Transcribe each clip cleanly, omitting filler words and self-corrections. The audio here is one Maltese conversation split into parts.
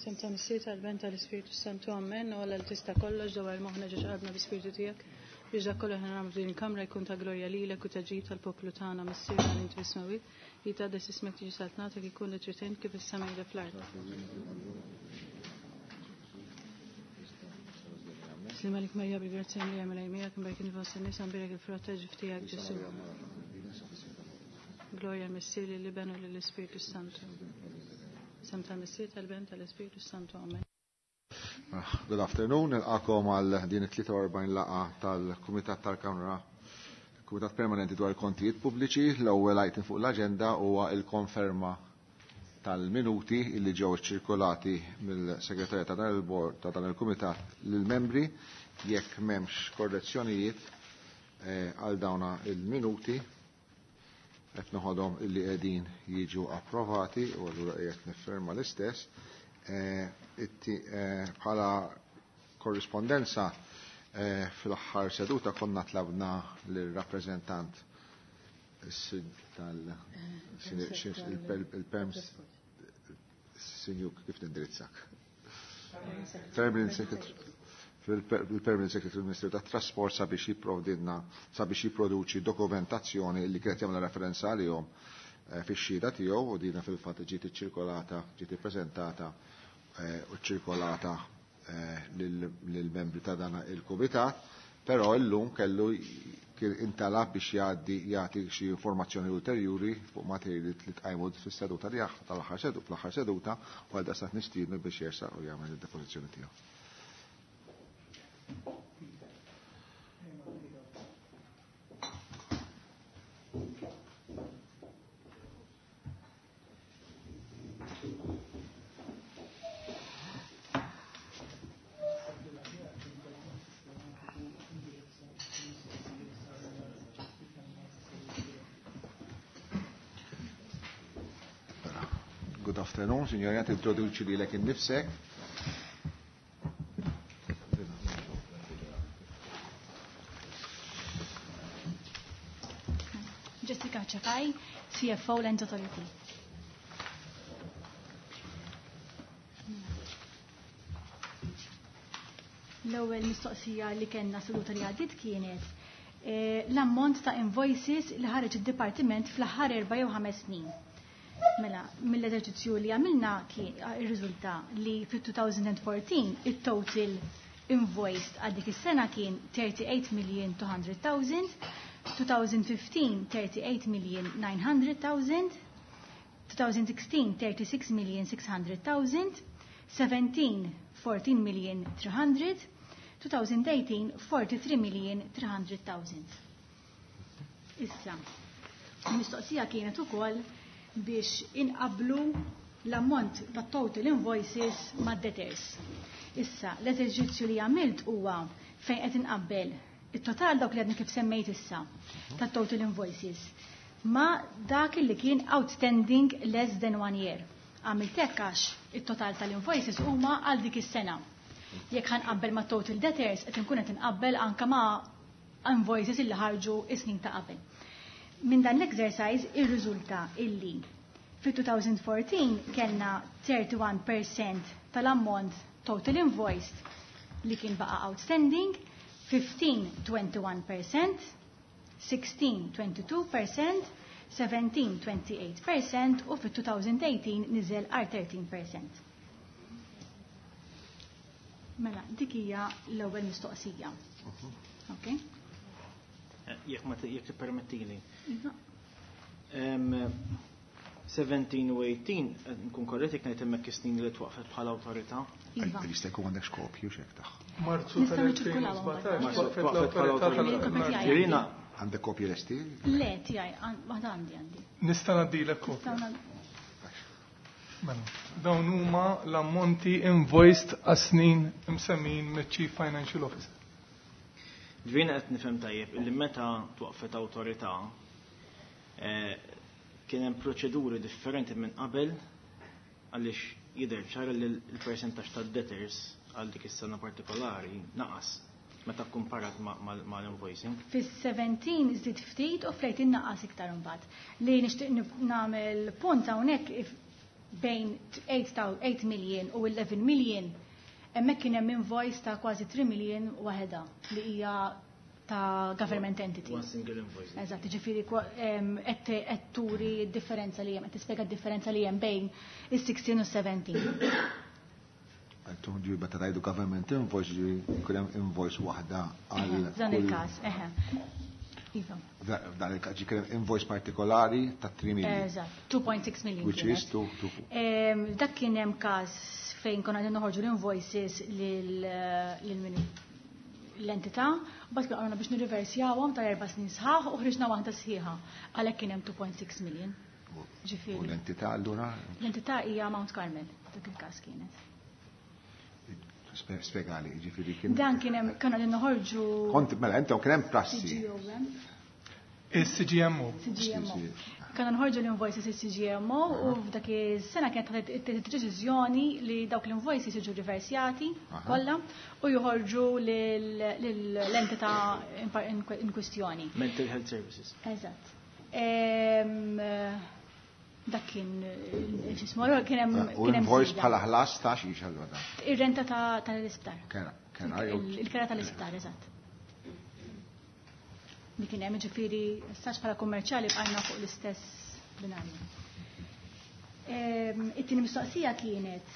Sem ta' Missier tal-Ben tal-Ispirtu Santu Amen, u għalla l-tista kollox dawar moħna ġeġ qalbna bi-Spirtu tiegħek biex dak kollu ħna nagħmlu din il-kamra jkun ta' glorja lilek u ta' ġid tal-poplu tagħna Missier tal inti fis-smewwiet, li tgħaddes ismek tiġi saltnatek ikun li trid int kif is-sema jidher fl-art. Slim għalik Marija bil-grazzja mlija mela jmijak mbajk nifos in-nisa mbirek il-frott ta' ġif tiegħek Ġesu. Glorja l-Missier lill-Iben u lill-Ispirtu Santu. Sem tal-Missier tal-Ben tal-Ispirtu Santu. Amen. Good afternoon, nilqakom għal din it-43 laqa tal-Kumitat tal-Kamra Kumitat Permanenti dwar il-Kontijiet Pubbliċi. L-ewwel item fuq l-aġenda huwa il-konferma tal-minuti illi ġew iċċirkolati mill-Segretarja ta' dan il-Bord ta' dan il-Kumitat lill-membri. Jekk m'hemmx korrezzjonijiet għal dawna il-minuti, qed noħodhom illi qegħdin jiġu approvati u allura qiegħed nifferma l-istess. Bħala korrispondenza fl-aħħar seduta konna tlabna lir-rappreżentant tal il-PEMS Sinjuk kif nindirizzak? Permanent Secretary il-Permanent Secretary Ministru tat Trasport sabiex jipprovdilna sabiex jipproduċi dokumentazzjoni li kienet jagħmel referenza għalihom fix-xhieda tiegħu u dina fil-fatt ġiet iċċirkolata, ġiet ippreżentata u ċirkolata lill-membri ta' dan il-kumitat, però llum kellu intalab biex jgħaddi jagħti xi informazzjoni ulterjuri fuq materji li tqajmu fis-seduta li tal-aħħar seduta fl-aħħar seduta u għal daqstant nistiednu biex jersaq u jagħmel id-depożizzjoni tiegħu. Good afternoon, signora, tintroduċi lilek innifsek. Jessica Cefai, CFO Land Authority. L-ewwel mistoqsija li kellna seduta li għaddiet kienet l-ammont ta' invoices li ħareġ id-dipartiment fl-aħħar 4 jew 5 snin. Mela, mill-eżerċizzju li għamilna kien irriżulta li fit-2014 it-total invoiced għal dik is-sena kien 38 million 200,000, 2015 38 million 900,000, 2016 36 million 600,000, 17 14 million 300, 2018 43 million 300,000. Issa, il-mistoqsija kienet ukoll biex inqablu l-ammont ta' total invoices ma' debtors. Issa, l-eżerċizzju li għamilt huwa fejn qed inqabbel it-total dawk li għadni kif semmejt issa ta' total invoices ma' dak li kien outstanding less than one year. Għamilt hekk għax it-total tal-invoices huma għal dik is-sena. Jekk ħanqabbel ma' total debtors qed inkun qed inqabbel anke ma' invoices illi ħarġu is-snin ta' qabel. Minn dan l-exercise irriżulta illi fi-2014 kellna 31% tal-ammont total invoiced li kien baqa outstanding, 15-21%, 16-22%, 17-28% u fit-2018 niżel għal 13%. Mela, dik hija l-ewwel mistoqsija. Okay? Jekk ma jekk tippermettili. Iva. 17 u 18, nkun korrett jekk ngħid hemmhekk is-snin li twaqfet bħala awtorità. Iva. Jista' jkun għandek xkopju x'hekk tagħha. Marzu Nistgħu niċirkulawhom tal-2017 twaqfet l-awtorità tal- Irina, Għandek kopji lesti? Le, tiegħi, waħda għandi għandi. Nista' ngħaddilek kopja. Nistgħu Mela, dawn huma l-ammonti invoiced għas-snin imsemmin miċ-Chief Financial Officer. Ġvina qed nifhem tajjeb illi meta twaqfet awtorità kien hemm proċeduri differenti minn qabel għaliex jidher ċar li l-persentaġġ tad-debtors għal dik is-sena partikolari naqas meta kkumparat mal-invoicing. Fis-17 żdied ftit u fl-18 naqas iktar imbagħad. Li nixtieq nagħmel punt hawnhekk. bejn 8 million u 11 million, hemmhekk kien hemm invoice ta' kważi 3 million waħedha li hija ta' government entity. One single invoice. Eżatt, ġifieri qed turi d-differenza li hemm, qed tispjega d-differenza li hemm bejn is-16 u 17. Għantum ġi meta tgħidu government invoice, ġi jkun hemm invoice waħda għal. Dan il-każ, eħe. Iva. Dan il-każ ġi kien invoice partikolari ta' 3 million. Eżatt, 2.6 million. Which is 2. Dak kien hemm każ fejn konna qegħdin noħorġu l-invoices lil min l-entità, u bas għarna biex nirriversjawhom ta' 4 snin sħaħ u ħriġna waħda sħiħa. Għalhekk kien hemm 2.6 million. U Ġifieri. l-entità allura L-entità hija Mount Carmel, dak il-każ kienet. Spjegali, ġifieri kien. Dan kien hemm konna qegħdin noħorġu Kont mela intom kien hemm prassi. CGOM. Il-CGMO. CGMO. Konna nħorġu l-invoices il-CGMO u f'dak is-sena kienet ħadet deċiżjoni li dawk l-invoices jiġu riversjati kollha u joħorġu l-entità in kwistjoni. Mental Health Services. Eżatt. Dak kien x'ismu, allura kien hemm U kien hemm invoice żieda. bħala ħlas ta' xiex allura dan. Ir-renta tal-isptar. Kera jew Il-kera tal-isptar, eżatt. Li kien hemm ġifieri sax bħala kummerċjali bqajna fuq l-istess binarju. It-tieni mistoqsija kienet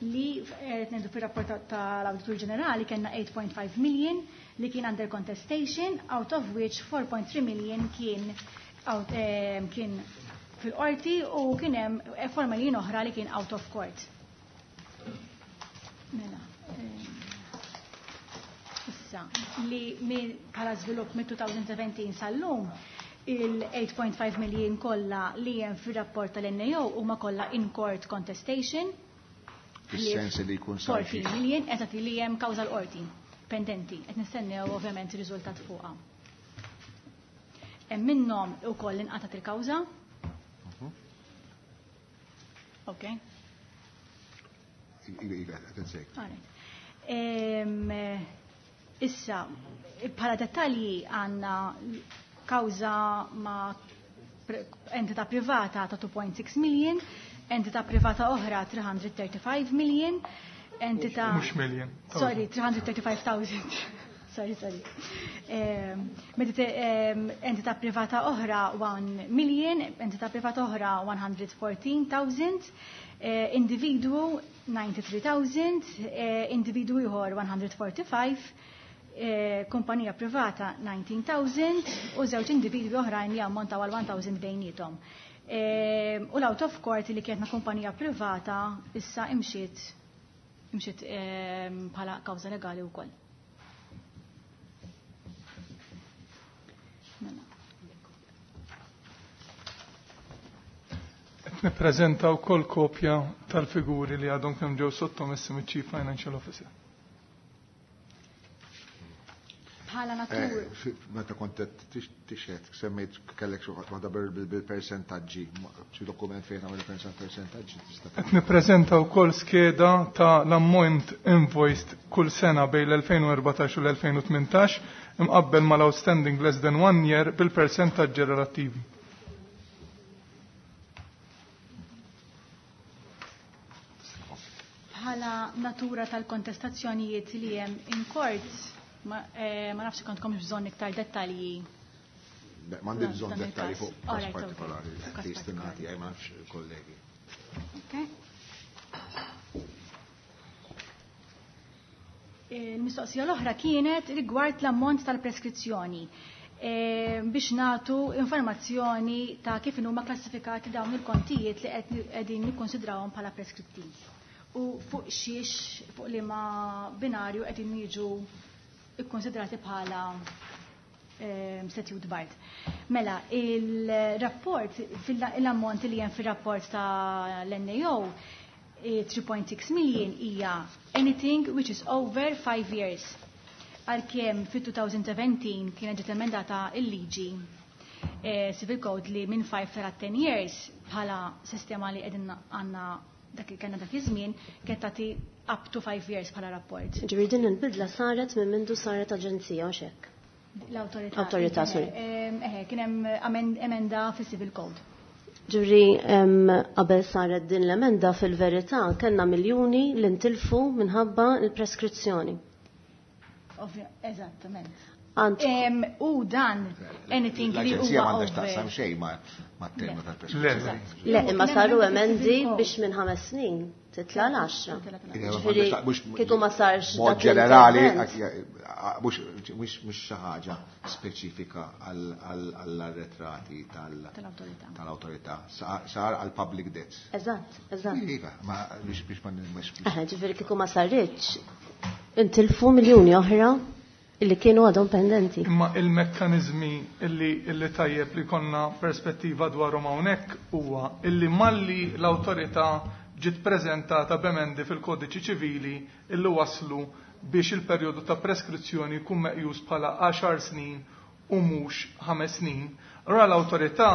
li ngħidu fir-rapport tal-Awditur Ġenerali kellna 8.5 million li kien under contestation, out of which 4.3 million kien out, kien fil-qorti u kien hemm 4 million oħra li kien out of court. Mela, issa, li bħala żvilupp mid-2017 sal-lum, il-8.5 million kollha li hemm fir-rapport tal-NAO huma kollha in court contestation. Fis-sens li jkun sar xi- 14 million, eżatt, li hemm kawża l-qorti pendenti, qed nistennew ovvjament ir-riżultat fuqha. Hemm minnhom ukoll inqatat il-kawża. Ok. Iva, qed insejk. Alright. Issa, bħala dettalji għandna kawża ma' entità privata ta' 2.6 million, entità privata oħra 335 million, entità Mhux million. Sorry, 335,000. Sorry, sorry. Entità privata oħra 1 million, entità privata oħra 114,000, individwu 93,000, individwu ieħor 145, kumpanija privata 19,000 u żewġ individwi oħrajn li ammontaw għal 1,000 bejniethom. U l-out of court li kienet ma' kumpanija privata issa imxiet bħala kawża legali wkoll. Mela. Qed nippreżenta wkoll kopja tal-figuri li għadhom kemm ġew sottomessi miċ-Chief Financial Officer. Bħala natur. Meta kont qed tixhed, semmejt kellek xi waħda bil-persentaġġi, xi dokument fejn għamel persentaġġi tista' Qed nippreżenta wkoll skeda ta' l-ammont invoiced kull sena bejn l-2014 u l-2018 imqabbel mal-outstanding less than one year bil-persentaġġi relattivi. Bħala natura tal-kontestazzjonijiet li hemm in court, ma nafx kontkom bżonn iktar dettalji. Beh, m'għandi No, bżonn dan dettalji il-każ. fuq każ All right, okay. partikolari, Fuq każ tistinati, partikolari. ma nafx kollegi. Okay. Il-mistoqsija l-oħra kienet rigward l-ammont tal-preskrizzjoni. Biex natu informazzjoni ta' kif huma klassifikati dawn il-kontijiet li qegħdin nikkonsidrawhom bħala preskritti. U fuq xiex, fuq liema binarju qegħdin jiġu ikkonsidrati bħala statute barred. Mela, il-rapport, l-ammont li hemm fil-rapport ta' l-NAO, 3.6 million hija anything which is over 5 years. Għalkemm fit-2017 kienet ġiet emendata il-liġi Civil Code li minn 5 sa 10 years bħala sistema li qegħdin għandna dak kellna dak iż-żmien kienet tagħti up to 5 years bħala rapport. Ġifieri din il-bidla saret minn mindu saret aġenzija u xek. L-awtorità. Awtorità, sorry. Kien hemm emenda fis-Civil Code. Ġuri, qabel saret din l-emenda fil-verità kellna miljuni li ntilfu minħabba l-preskrizzjoni. Eżattament. U dan, anything li L-Aġenzija m'għandax taqsam xejn ma' tema tal-preskrizzjoni. Le, imma saru emendi biex minn 5 snin titla l-10. Ġifieri, kieku ma sarx Mod dak ġenerali, l-intervent. mhux xi ħaġa speċifika għall-arretrati Tal-awtorità. tal-awtorità. Sar għall-public debts. Eżatt. Iva, ma biex ma mhux Eħe, ġifieri kieku ma sarritx, intilfu miljuni oħra illi kienu għadhom pendenti. Imma il-mekkanizmi illi tajjeb li konna perspettiva dwarhom hawnhekk huwa illi malli l-awtorità ġiet preżentata b'emendi fil-kodiċi ċivili illi waslu biex il-perjodu ta' preskrizzjoni jkun meqjus bħala 10 snin u mhux 5 snin. Allura l-awtorità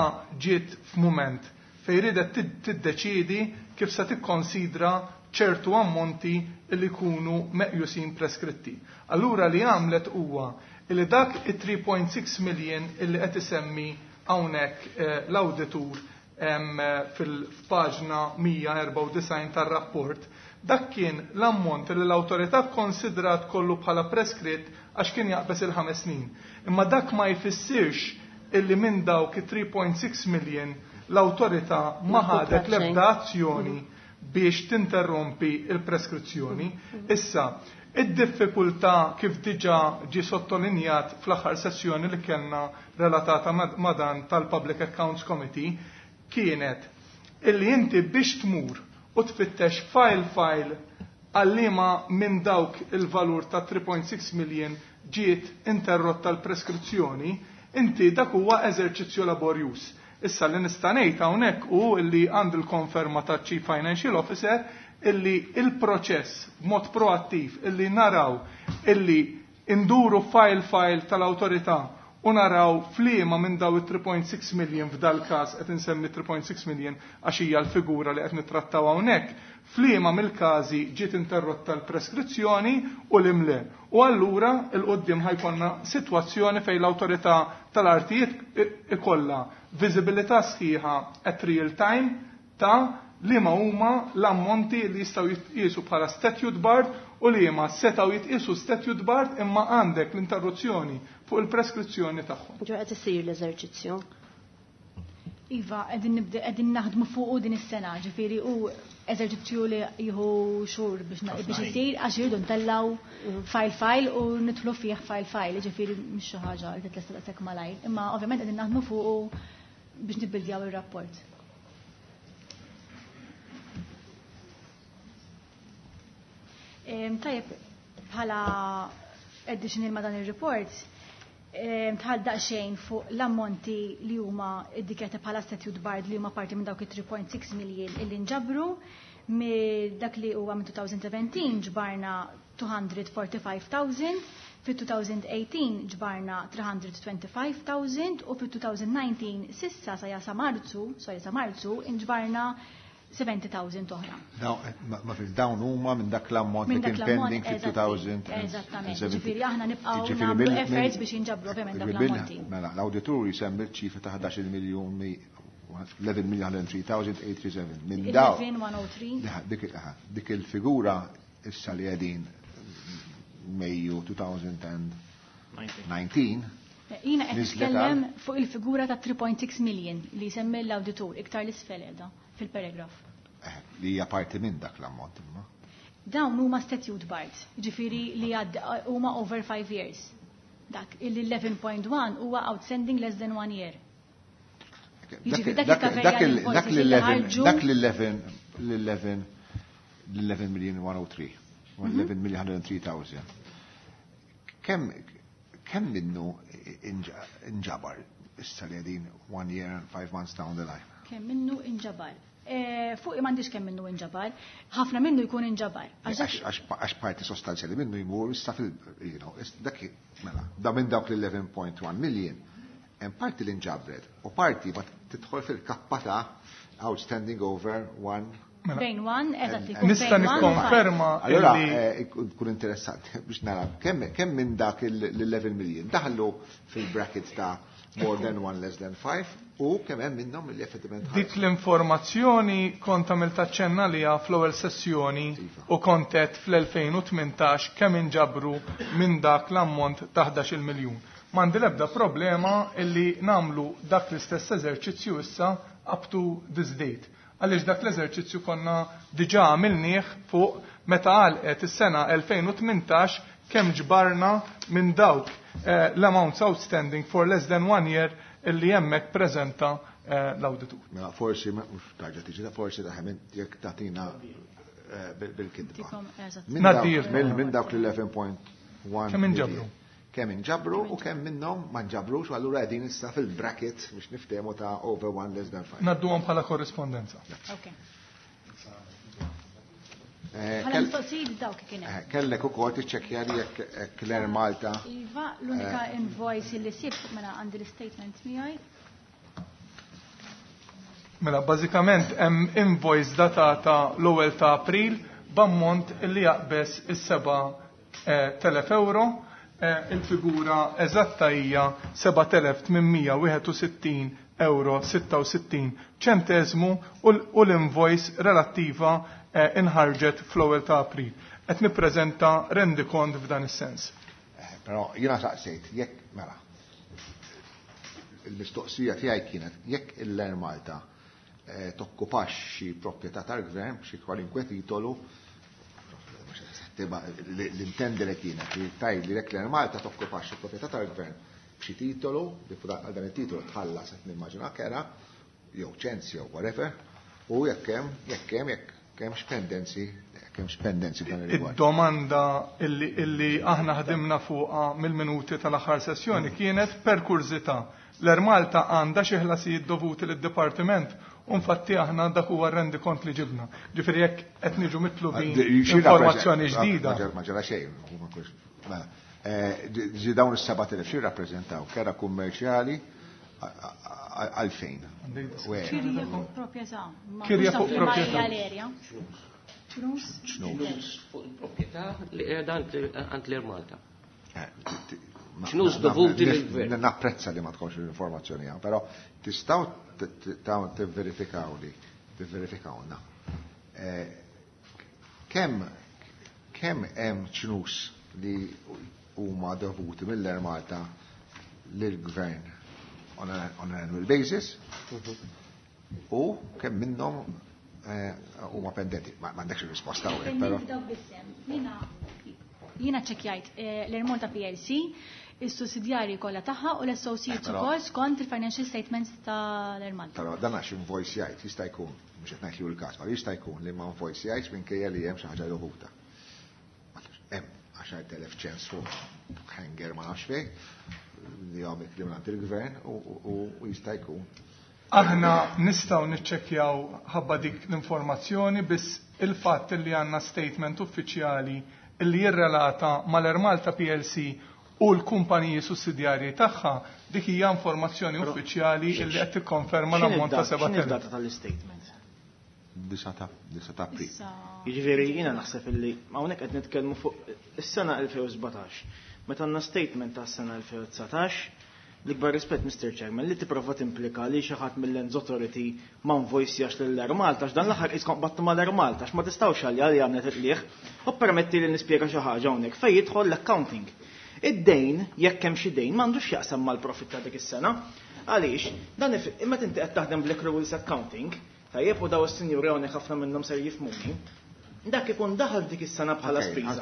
ġiet f'mument fejn ridet tiddeċiedi kif se tikkonsidra ċertu ammonti li jkunu meqjusin preskritti. Allura li għamlet huwa li dak it-3.6 million illi qed isemmi hawnhekk l-awditur fil-paġna 194 tar-rapport, dak kien l-ammont li l-awtorità konsidrat kollu bħala preskritt għax kien jaqbes il-5 snin. Imma dak ma jfissirx illi minn dawk it-3.6 million l-awtorità ma ħadet l-ebda azzjoni biex tinterrompi il-preskrizzjoni. Issa, id-diffikultà kif diġà ġi sottolinjat fl-aħħar sessjoni li kellna relatata ma' dan tal-Public Accounts Committee kienet illi inti biex tmur u tfittex file file għallima minn dawk il-valur ta' 3.6 million ġiet interrotta l-preskrizzjoni, inti dak huwa eżerċizzju laborjuż. Issa li nista' ngħid hawnhekk hu illi għand il-konferma ta' Chief Financial Officer illi il-proċess b'mod proattiv illi naraw illi induru file file tal-awtorità u naraw f'liema minn daw it-3.6 million, f'dal każ qed insemmi 3.6 million għax hija l-figura li qed nittrattaw hawnhekk, f'liema mill-każi ġiet interrotta l-preskrizzjoni u l-imle. U allura il-qoddim ħa jkollna sitwazzjoni fejn l-awtorità tal-artijiet ikollha viżibilità sħiħa at real time ta' li ma huma l-ammonti li jistgħu jitqiesu bħala statute barred u li ma setgħu jitqiesu statute barred imma għandek l-interruzzjoni fuq il-preskrizzjoni tagħhom. Ġo qed isir l-eżerċizzju. Iva, qegħdin nibda qegħdin naħdmu fuq din is-sena, ġifieri u eżerċizzju li jieħu xhur biex isir għax irridu ntellgħu file file u nidħlu fih file file, ġifieri mhux xi ħaġa li titlesta daqshekk malajr. Imma ovvjament qegħdin naħdmu fuq biex nibbildjaw ir-rapport. Tajjeb, bħala additional ma dan il-report, tħal daqsxejn fuq l-ammonti li huma iddikjati bħala statute barred li huma parti minn dawk it-3.6 million illi nġabru. Minn dak li huwa minn 2017 ġbarna 245,000, fit-2018 ġbarna 325,000 u fit-2019 sissa sa jasa Marzu, sorry, sa Marzu inġbarna 70,000 oħra. Daw, ma fil dawn huma minn dak l-ammont li Minn dak kien l-ammont, pending fil-2017. Eżattament. Ġifieri aħna nibqgħu Ġifieri nagħmlu efforts biex jinġabru ovvjament dak l-ammonti. Mela, l-awditur jisemmi ċifra ta' 11 miljun 11,103,837. Minn daw. 11,103. Dik il-figura issa li qegħdin Mejju 2019. Jiena qed Nizlet nitkellem għal- fuq il-figura ta' 3.6 million li jsemmi l-awditur iktar l-isfel qiegħda fil-paragraf. Li hija parti minn dak l-ammont imma. Dawn huma statute barred, ġifieri li għad huma over 5 years. Dak il-11.1 huwa outstanding less than 1 year. Jiġifieri dak il-kaverja li Dak invoices li ħarġu- Dak l-11 million 103. 11 million 103,000. Kemm minnu inġabar issa li qegħdin 1 year and 5 months down the line? Kemm minnu inġabar? Fuq m'għandix kemm minnu inġabar, ħafna minnu jkun inġabar. Għax dak Għax parti sostanzjali minnu jmur issa fil, dak mela, da minn dawk l-11.1 million, hemm parti li nġabret u parti ma tidħol fil-kappa ta' outstanding over one. Mela. Bejn one, eżatt, ikun Nista' bejn one u nikkonferma five. Allora, illi ikun interessanti biex nara kemm minn dak l-11 million daħlu fil-brackets ta' more than one, less than five, u kemm hemm minnhom li effettivament Dik l-informazzjoni kont għamilt aċċenna liha fl-ewwel sessjoni u kontet fl-2018 kemm inġabru minn dak l-ammont ta' 11 miljun. M'għandi l-ebda problema illi nagħmlu dak l-istess eżerċizzju issa up to this date. Għaliex dak l-eżerċizzju konna diġà għamilnieh fuq meta għalqet is-sena 2018 kemm ġbarna minn dawk l-amounts outstanding for less than one year illi hemmhekk preżenta l-awditur. Mela forsi mhux tarġa' tiġi ta' forsi ta' jekk tagħtina bil-kitba. Minn dawk l-11.1 Kemm inġabru? Kemm inġabru u kemm minnhom ma nġabrux u allura qegħdin issa fil-bracket biex niftehmu ta' over one less than five. Ngħadduhom bħala korrispondenza. Okay. Bħala mistoqsijiet dawk kien hemm. Kellek ukoll tiċċekkja li jekk l-Air Malta. Iva, l-unika invoice li sibt mela għandi l-statement miegħi. Mela bażikament hemm invoice datata l-ewwel ta' April b'ammont li jaqbeż is-7,000 euro. Il-figura eżatta hija 7,861 euro 66 ċentesmu u l-invoice relattiva inħarġet fl-ewwel ta' April. Qed nippreżenta rendikont f'dan is-sens. Però jiena saqsejt jekk mela il-mistoqsija tiegħi kienet jekk il-Air Malta tokkupax xi proprjetà tal-gvern xi kwalinkwe titolu, l-intendi li kienet li tgħid li jekk l-Air Malta tokkupax xi proprjetà tal-gvern b'xi titolu, li fuq għal dan it-titolu tħallas qed nimmaġina kera, jew ċens jew whatever, u jekk hemm jekk hemm jekk hemmx pendenzi, jekk hemmx pendenzi f'dan ir-rigward. Id-domanda illi aħna ħdimna fuqha mill-minuti tal-aħħar sessjoni kienet per kurżità. L-Air Malta għandha xi ħlasijiet dovuti lid-dipartiment u infatti aħna dak huwa r-rendikont li ġibna. Ġifieri jekk qed niġu mitlubin informazzjoni ġdida. Ma ġara xejn, mela. Ġi dawn is-7,000 xi rappreżentaw kera kummerċjali għalfejn? Kirja fuq proprjetà. Kirja fuq proprjetà. Ċnus fuq il-proprjetà li qiegħda għand l-Air Malta. Ċnus dovuti lill-gvern. Napprezza li ma tkunx l-informazzjoni hawn, però tistgħu tivverifikaw li tivverifikawna. Kemm kemm hemm ċnus li huma dovuti mill-Air Malta lill-gvern on an annual basis u kemm minnhom huma pendenti. Ma m'għandekx ir-risposta hawnhekk, però. Jiena ċċekkjajt l-Air Malta PLC, is-sussidjarji kollha tagħha u l-associates ukoll skont il-financial statements tal-Air Malta. Però dan għax invoice jgħid jista' jkun, mhux qed ngħid li hu l-każ, ma jista' jkun li ma invoice jgħidx minkejja li hemm xi ħaġa dovuta. Hemm 10,000 ċens fuq hanger ma nafx fejn li għamil li minn il-gvern u jista' jkun. Aħna nistgħu niċċekkjaw ħabba dik l-informazzjoni, biss il-fatt li għandna statement uffiċjali li jirrelata mal-Air Malta PLC u l-kumpaniji sussidjarji tagħha, dik hija informazzjoni uffiċjali li qed tikkonferma l-ammont ta' 7,000. X'inhi d-data tal-istatement? 9 ta' April. Jiġifieri jiena naħseb illi hawnhekk qed nitkellmu fuq is-sena 2017. Meta għandna statement tas-sena 2019, l-ikbar rispett Mr. Chairman li tipprova timplika li xi ħadd mill-Lands Authority ma nvoicjax lill-Air Malta, għax dan l-aħħar qiskom qbattu mal-Air Malta, għax ma tistgħux għalja li għamlet il-qligħ, u permetti li nispjega xi ħaġa hawnhekk fejn jidħol l-accounting. Id-dejn, jekk hemm xi dejn, m'għandux x'jaqsam mal-profit ta' dik is-sena. Għaliex, dan imma inti qed taħdem bl-accruals accounting, tajjeb u daw is-sinjuri hawnhekk ħafna minnhom ser jifhmuni. Dak ikun daħal dik is-sena bħala spiża.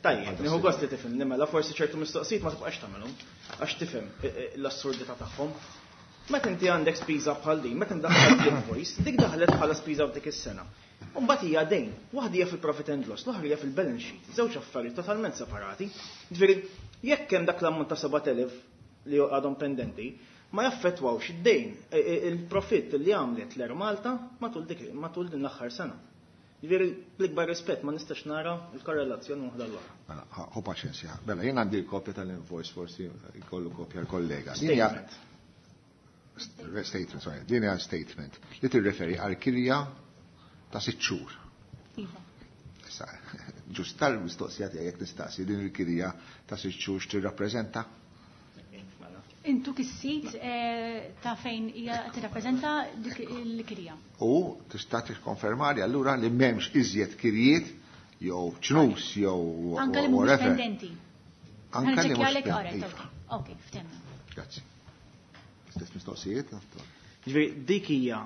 Tajjeb, nieħu gost li tifhimni, mela forsi ċertu mistoqsijiet ma tibqax tagħmelhom għax tifhem l-assurdità tagħhom. Meta inti għandek spiża bħal din, meta ndaħħal l-invoice, dik daħlet bħala spiża f'dik is-sena. U mbagħad hija dejn, waħda hija fil-profit and loss, l-oħra hija fil-balance sheet, żewġ affarijiet totalment separati. Ġifieri, jekk hemm dak l-ammont ta' 7,000 li għadhom pendenti, ma jaffettwawx id-dejn, il-profitt li għamlet l-Air Malta matul dik matul din l-aħħar sena. Ġifieri bl-ikbar rispett ma nistax nara l-korrelazzjoni waħda l-oħra. Mela, ħu paċenzja. Mela, jien għandi l-kopja tal-invoice, forsi jkollu kopja l-kollega. Din hija statement, sorry, din hija statement li tirreferi għal kirja ta' 6 xhur. Iva. Issa, ġust tal-mistoqsija tiegħek jekk nistaqsi din il-kirja ta' 6 xhur x'tirrappreżenta? Intu kissit ta' fejn hija tirrappreżenta dik il-kirja. U tista' tikkonfermali allura li m'hemmx iżjed kirjiet jew ċnus jew Anka li mhumiex pendenti. Anka li mhux pendenti. Ok, ftemna. Grazzi. Stess mistoqsijiet? Ġifieri dik hija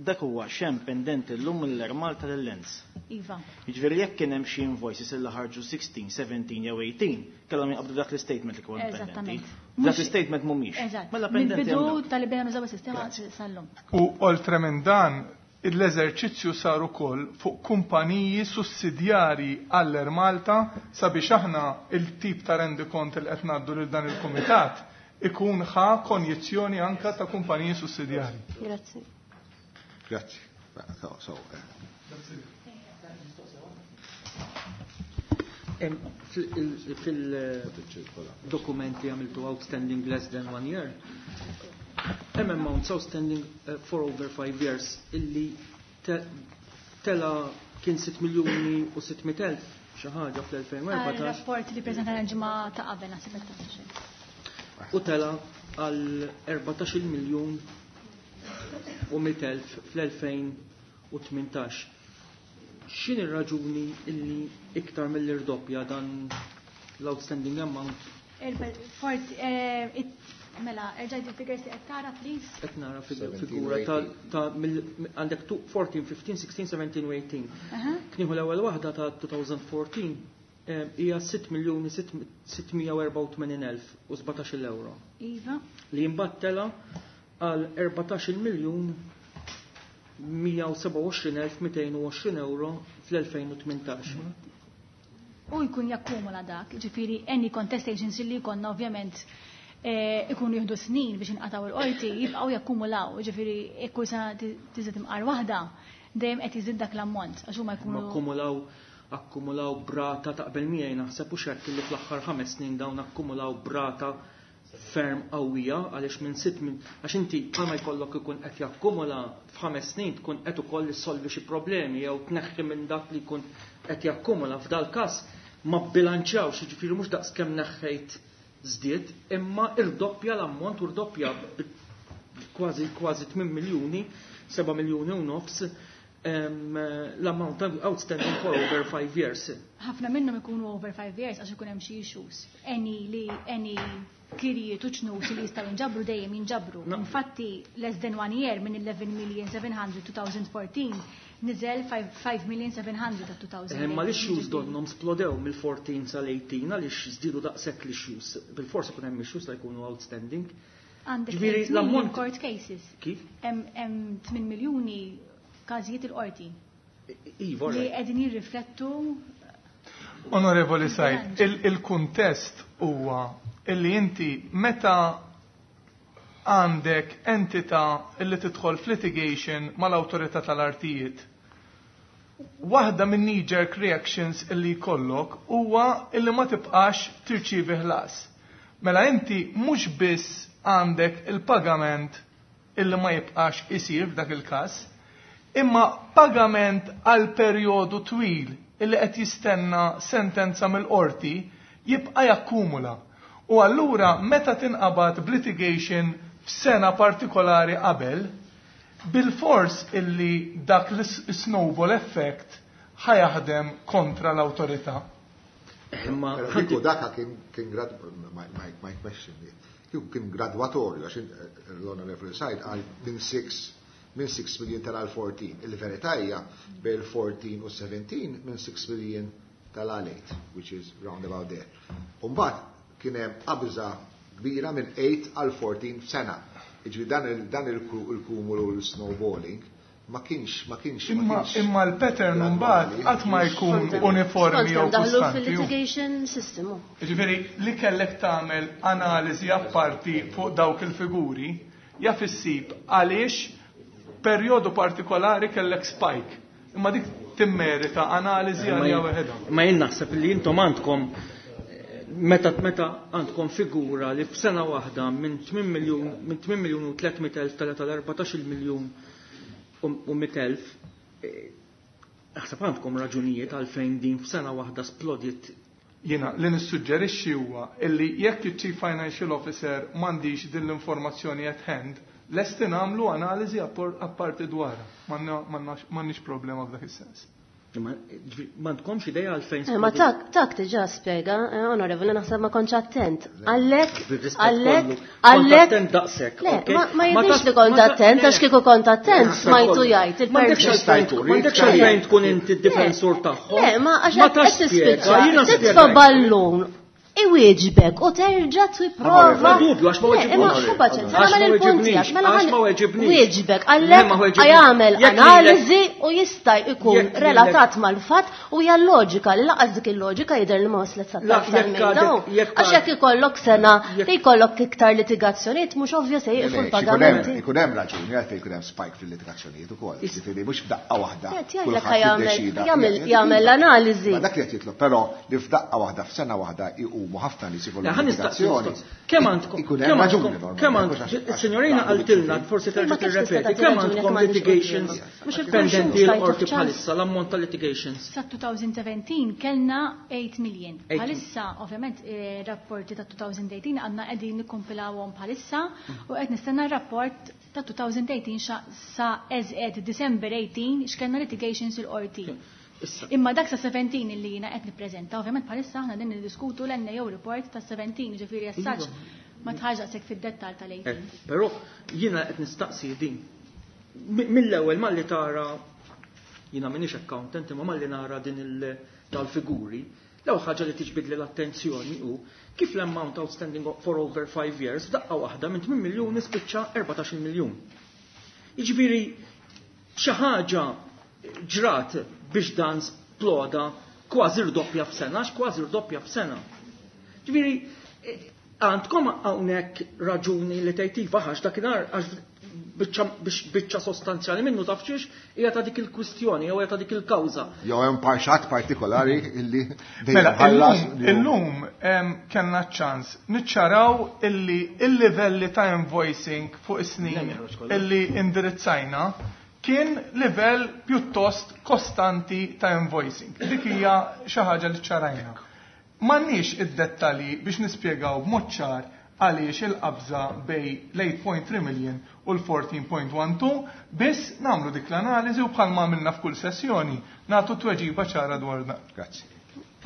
dak huwa xem pendenti llum mill-Air Malta lil-Lens. Iva. Jiġifieri jekk kien hemm xi invoices illi ħarġu 16, 17 jew 18, kellhom jinqabdu dak l-istatement li kien pendenti. Eżattament. Dak l-istatement mhumiex. Eżatt. Mela pendenti. Mill-bidu tal-li bdejna nużaw is-sistema sal-lum. U oltre minn dan, l-eżerċizzju sar ukoll fuq kumpaniji sussidjarji għall-Air Malta sabiex aħna il-tip ta' rendikont li qed ngħaddu lil dan il-kumitat ikun ħa konjizzjoni anka ta' kumpaniji sussidjarji. Grazzi. Grazzi. Fil-dokument li għamiltu outstanding less than one year, hemm amounts outstanding for over 5 years illi tela kien 6 miljuni u 600,000 xi ħaġa fl-2014. Rapport li preżentana l-ġimgħa ta' qabel naħseb qed tafx. U tela għal 14 miljun u 100,000 fl-2018. X'in ir-raġuni illi iktar mill-irdoppja dan l-outstanding amount? Mela, erġa' il-figures li qed tara, please. Qed nara figura ta' għandek 14, 15, 16, 17 u 18. Knieħu l-ewwel waħda ta' 2014 hija sitt miljuni sitt mija u erbgħa u tmenin elf u sbatax-il euro. Iva. Li mbagħad tela għal erbatax-il miljun mija u seba' u għoxrin elf mitejn u għoxrin euro fl-2018. U jkun jakkumula dak, ġifieri any contestations li jkollna ovvjament ikunu jieħdu snin biex inqataw il-qorti, jibqgħu jakkumulaw, ġifieri kull sena tiżid imqar waħda, dejjem qed jiżid dak l-ammont, għax huma jkunu Akkumulaw brata taqbel miegħi naħseb u xekk li fl-aħħar 5 snin dawn akkumulaw brata ferm qawwija għaliex minn sitt minn għax inti bħalma jkollok ikun qed jakkumula f'ħames snin tkun qed ukoll issolvi xi problemi jew tneħħi minn dak li jkun qed jakkumula. F'dal każ ma bbilanċjawx, jiġifieri mhux daqs kemm neħħejt żdied, imma irdoppja l-ammont u rdoppja kważi 8 miljuni, 7 miljuni u nofs l-amount outstanding for over 5 years. Ħafna minnhom ikunu over 5 years għax ikun hemm xi issues. Any li any kirijiet u ċnus li jistgħu jinġabru dejjem jinġabru. Infatti less than 1 year minn eleven million seven hundred two thousand fourteen niżel five million seven hundred ta' two thousand Ma l-issues donhom splodew mill-14 sal-18 għaliex żdiedu daqshekk l-issues. Bil-forsi ikun hemm issues li jkunu outstanding. Għandek Ġifieri eight million l-ammont court cases. Kif? Hemm 8 miljuni każijiet il-qorti. Iva, Li right. qegħdin jirriflettu. Onorevoli Said, il-kuntest huwa illi inti meta għandek entità illi tidħol f'litigation mal-awtorità tal-artijiet, waħda minn knee-jerk reactions illi jkollok huwa illi ma tibqax tirċievi ħlas. Mela inti mhux biss għandek il-pagament illi ma jibqax isir f'dak il-każ, imma pagament għal perjodu twil illi qed jistenna sentenza mill-qorti jibqa' jakkumula. U allura meta tinqabad b'litigation f'sena partikolari qabel, bil-fors illi dak l-snowball effect ħajaħdem kontra l-awtorità. Imma Però kieku dak kien grad, my question, kieku kien gradwatorju, għax l-Honorable Said għal minn 6, minn 6 million tal 14. Il-verità hija bejn 14 u 17 minn 6 million tal 8, which is round about there. Umbagħad kien hemm qabża kbira minn 8 għal 14 sena. Jiġifieri dan il-kumulu l-snowballing ma kienx, ma kienx, ma Imma kienx l-pattern mbagħad qatt ma jkun Skont uniformi jew kemm daħlu kostanti. fil-litigation system. Jiġifieri li kellek tagħmel analiżi apparti fuq dawk il-figuri jaf issib għaliex perjodu partikolari kellek spike. Imma dik timmerita analiżi għalija waħedha. Ma jien naħseb li intom għandkom meta għandkom figura li f'sena waħda minn tmien miljun, minn tmien miljun u tliet mitt elf tela tal-erbatax-il miljun u mitt elf, naħseb għandkom raġunijiet għalfejn din f'sena waħda splodiet Jiena li nissuġġerixxi huwa illi jekk iċ-Chief Financial Officer m'għandix din l-informazzjoni at hand, lesti nagħmlu analiżi apparti dwarha. M'għandniex problema f'dak is-sens. M'għandkomx idea għalfejn. Ma tak diġà spjega, onorevoli, naħseb ma kontx attent. Għalhekk, għalhekk, għalhekk. Attent daqshekk. Le, ma jidhirx li kont attent, għax kieku kont attent smajtu jgħid. M'għandekx għalfejn tkun inti d-difensur tagħhom. Le, ma għax qed tispiċċa, titfa' ballun iwieġbek u terġa' tipprova. Ma dubju għax ma weġibniex. Imma xu paċenza, nagħmel il-punti għax mela Għax ma weġibniex. Wieġbek Le, ma għalhekk weġibniex. jagħmel Jekk lilek- analiżi u jista' jkun Jekk lilek- relatat mal-fatt u hija loġika li laqas dik il-loġika jidher li ma waslet sa La, tarf jekk tal-mejda. għadek- jekk Għax jekk ikollok sena li jkollok iktar litigazzjonijiet mhux ovvja se jieqfu l-pagamenti. Ikun hemm raġuni għalfejn ikun hemm spike fil-litigazzjonijiet ukoll. Jiġifieri mhux f'daqqa waħda. Qed jgħidlek kulħadd jiddeċida. jagħmel analiżi. Ma dak li qed jitlob, però li f'daqqa waħda f'sena waħda jqumu ħafna nies ikollhom Le, ħa nistaqsi litigazzjoni. mistoqs. Kemm għandkom? Ikun hemm Kemm raġuni għandkom? normalment, Kemm mhux għandkom? għax- Is-signorina qaltilna, forsi Ma terġa' kif tista' tirrepeti, tagħti kemm raġuni jekk għandkom m'għandix litigations qudiemha? Mhux pendenti il-konxjus l-qorti tajtu f'ċans. bħalissa, l-ammont ta' litigations. Sa 2017 kellna 8 million. 8 Bħalissa, ovvjament, rapporti ta' 2018 għadna qegħdin nikkompilawhom bħalissa u qed nistenna r-rapport ta' 2018 sa as at December 18 x'kellna litigations il-qorti. Issa. Imma dak sa 17 illi jiena qed nippreżenta, ovvjament bħalissa aħna din niddiskutu l-NAO report ta' 17, ġifieri as such ma tħarġ daqshekk fid-dettall tal-18. Però jiena qed nistaqsi din. Mill-ewwel malli tara jiena m'iniex accountant imma malli nara din tal-figuri, l-ewwel ħaġa li tiġbidli l-attenzjoni hu kif l-amount outstanding for over 5 years f'daqqa waħda minn 8 miljun nispiċċa 14 miljun. Jiġifieri xi ħaġa ġrat biex dan sploda kważi rdoppja f'sena, għax kważi rdoppja f'sena. Ġifieri, għandkom hawnhekk raġuni li tgħid iva għax dakinhar għax biex biċċa sostanzjali minnu taf xiex hija ta' dik il-kwistjoni jew hija ta' dik il-kawża. Jew hemm parxat partikolari illi dejjem Mela, ħallas illum kellna ċans niċċaraw illi il-livelli ta' invoicing fuq is-snin illi indirizzajna kien livell pjuttost kostanti ta' invoicing. Dik hija xi ħaġa li ċarajna. M'għandniex id-dettalji biex nispjegaw b'mod ċar għaliex il-qabża bej l-8.3 million u l-14.12 biss nagħmlu dik l-analiżi u bħalma għamilna f'kull sessjoni nagħtu tweġiba ċara dwar dan. Grazzi.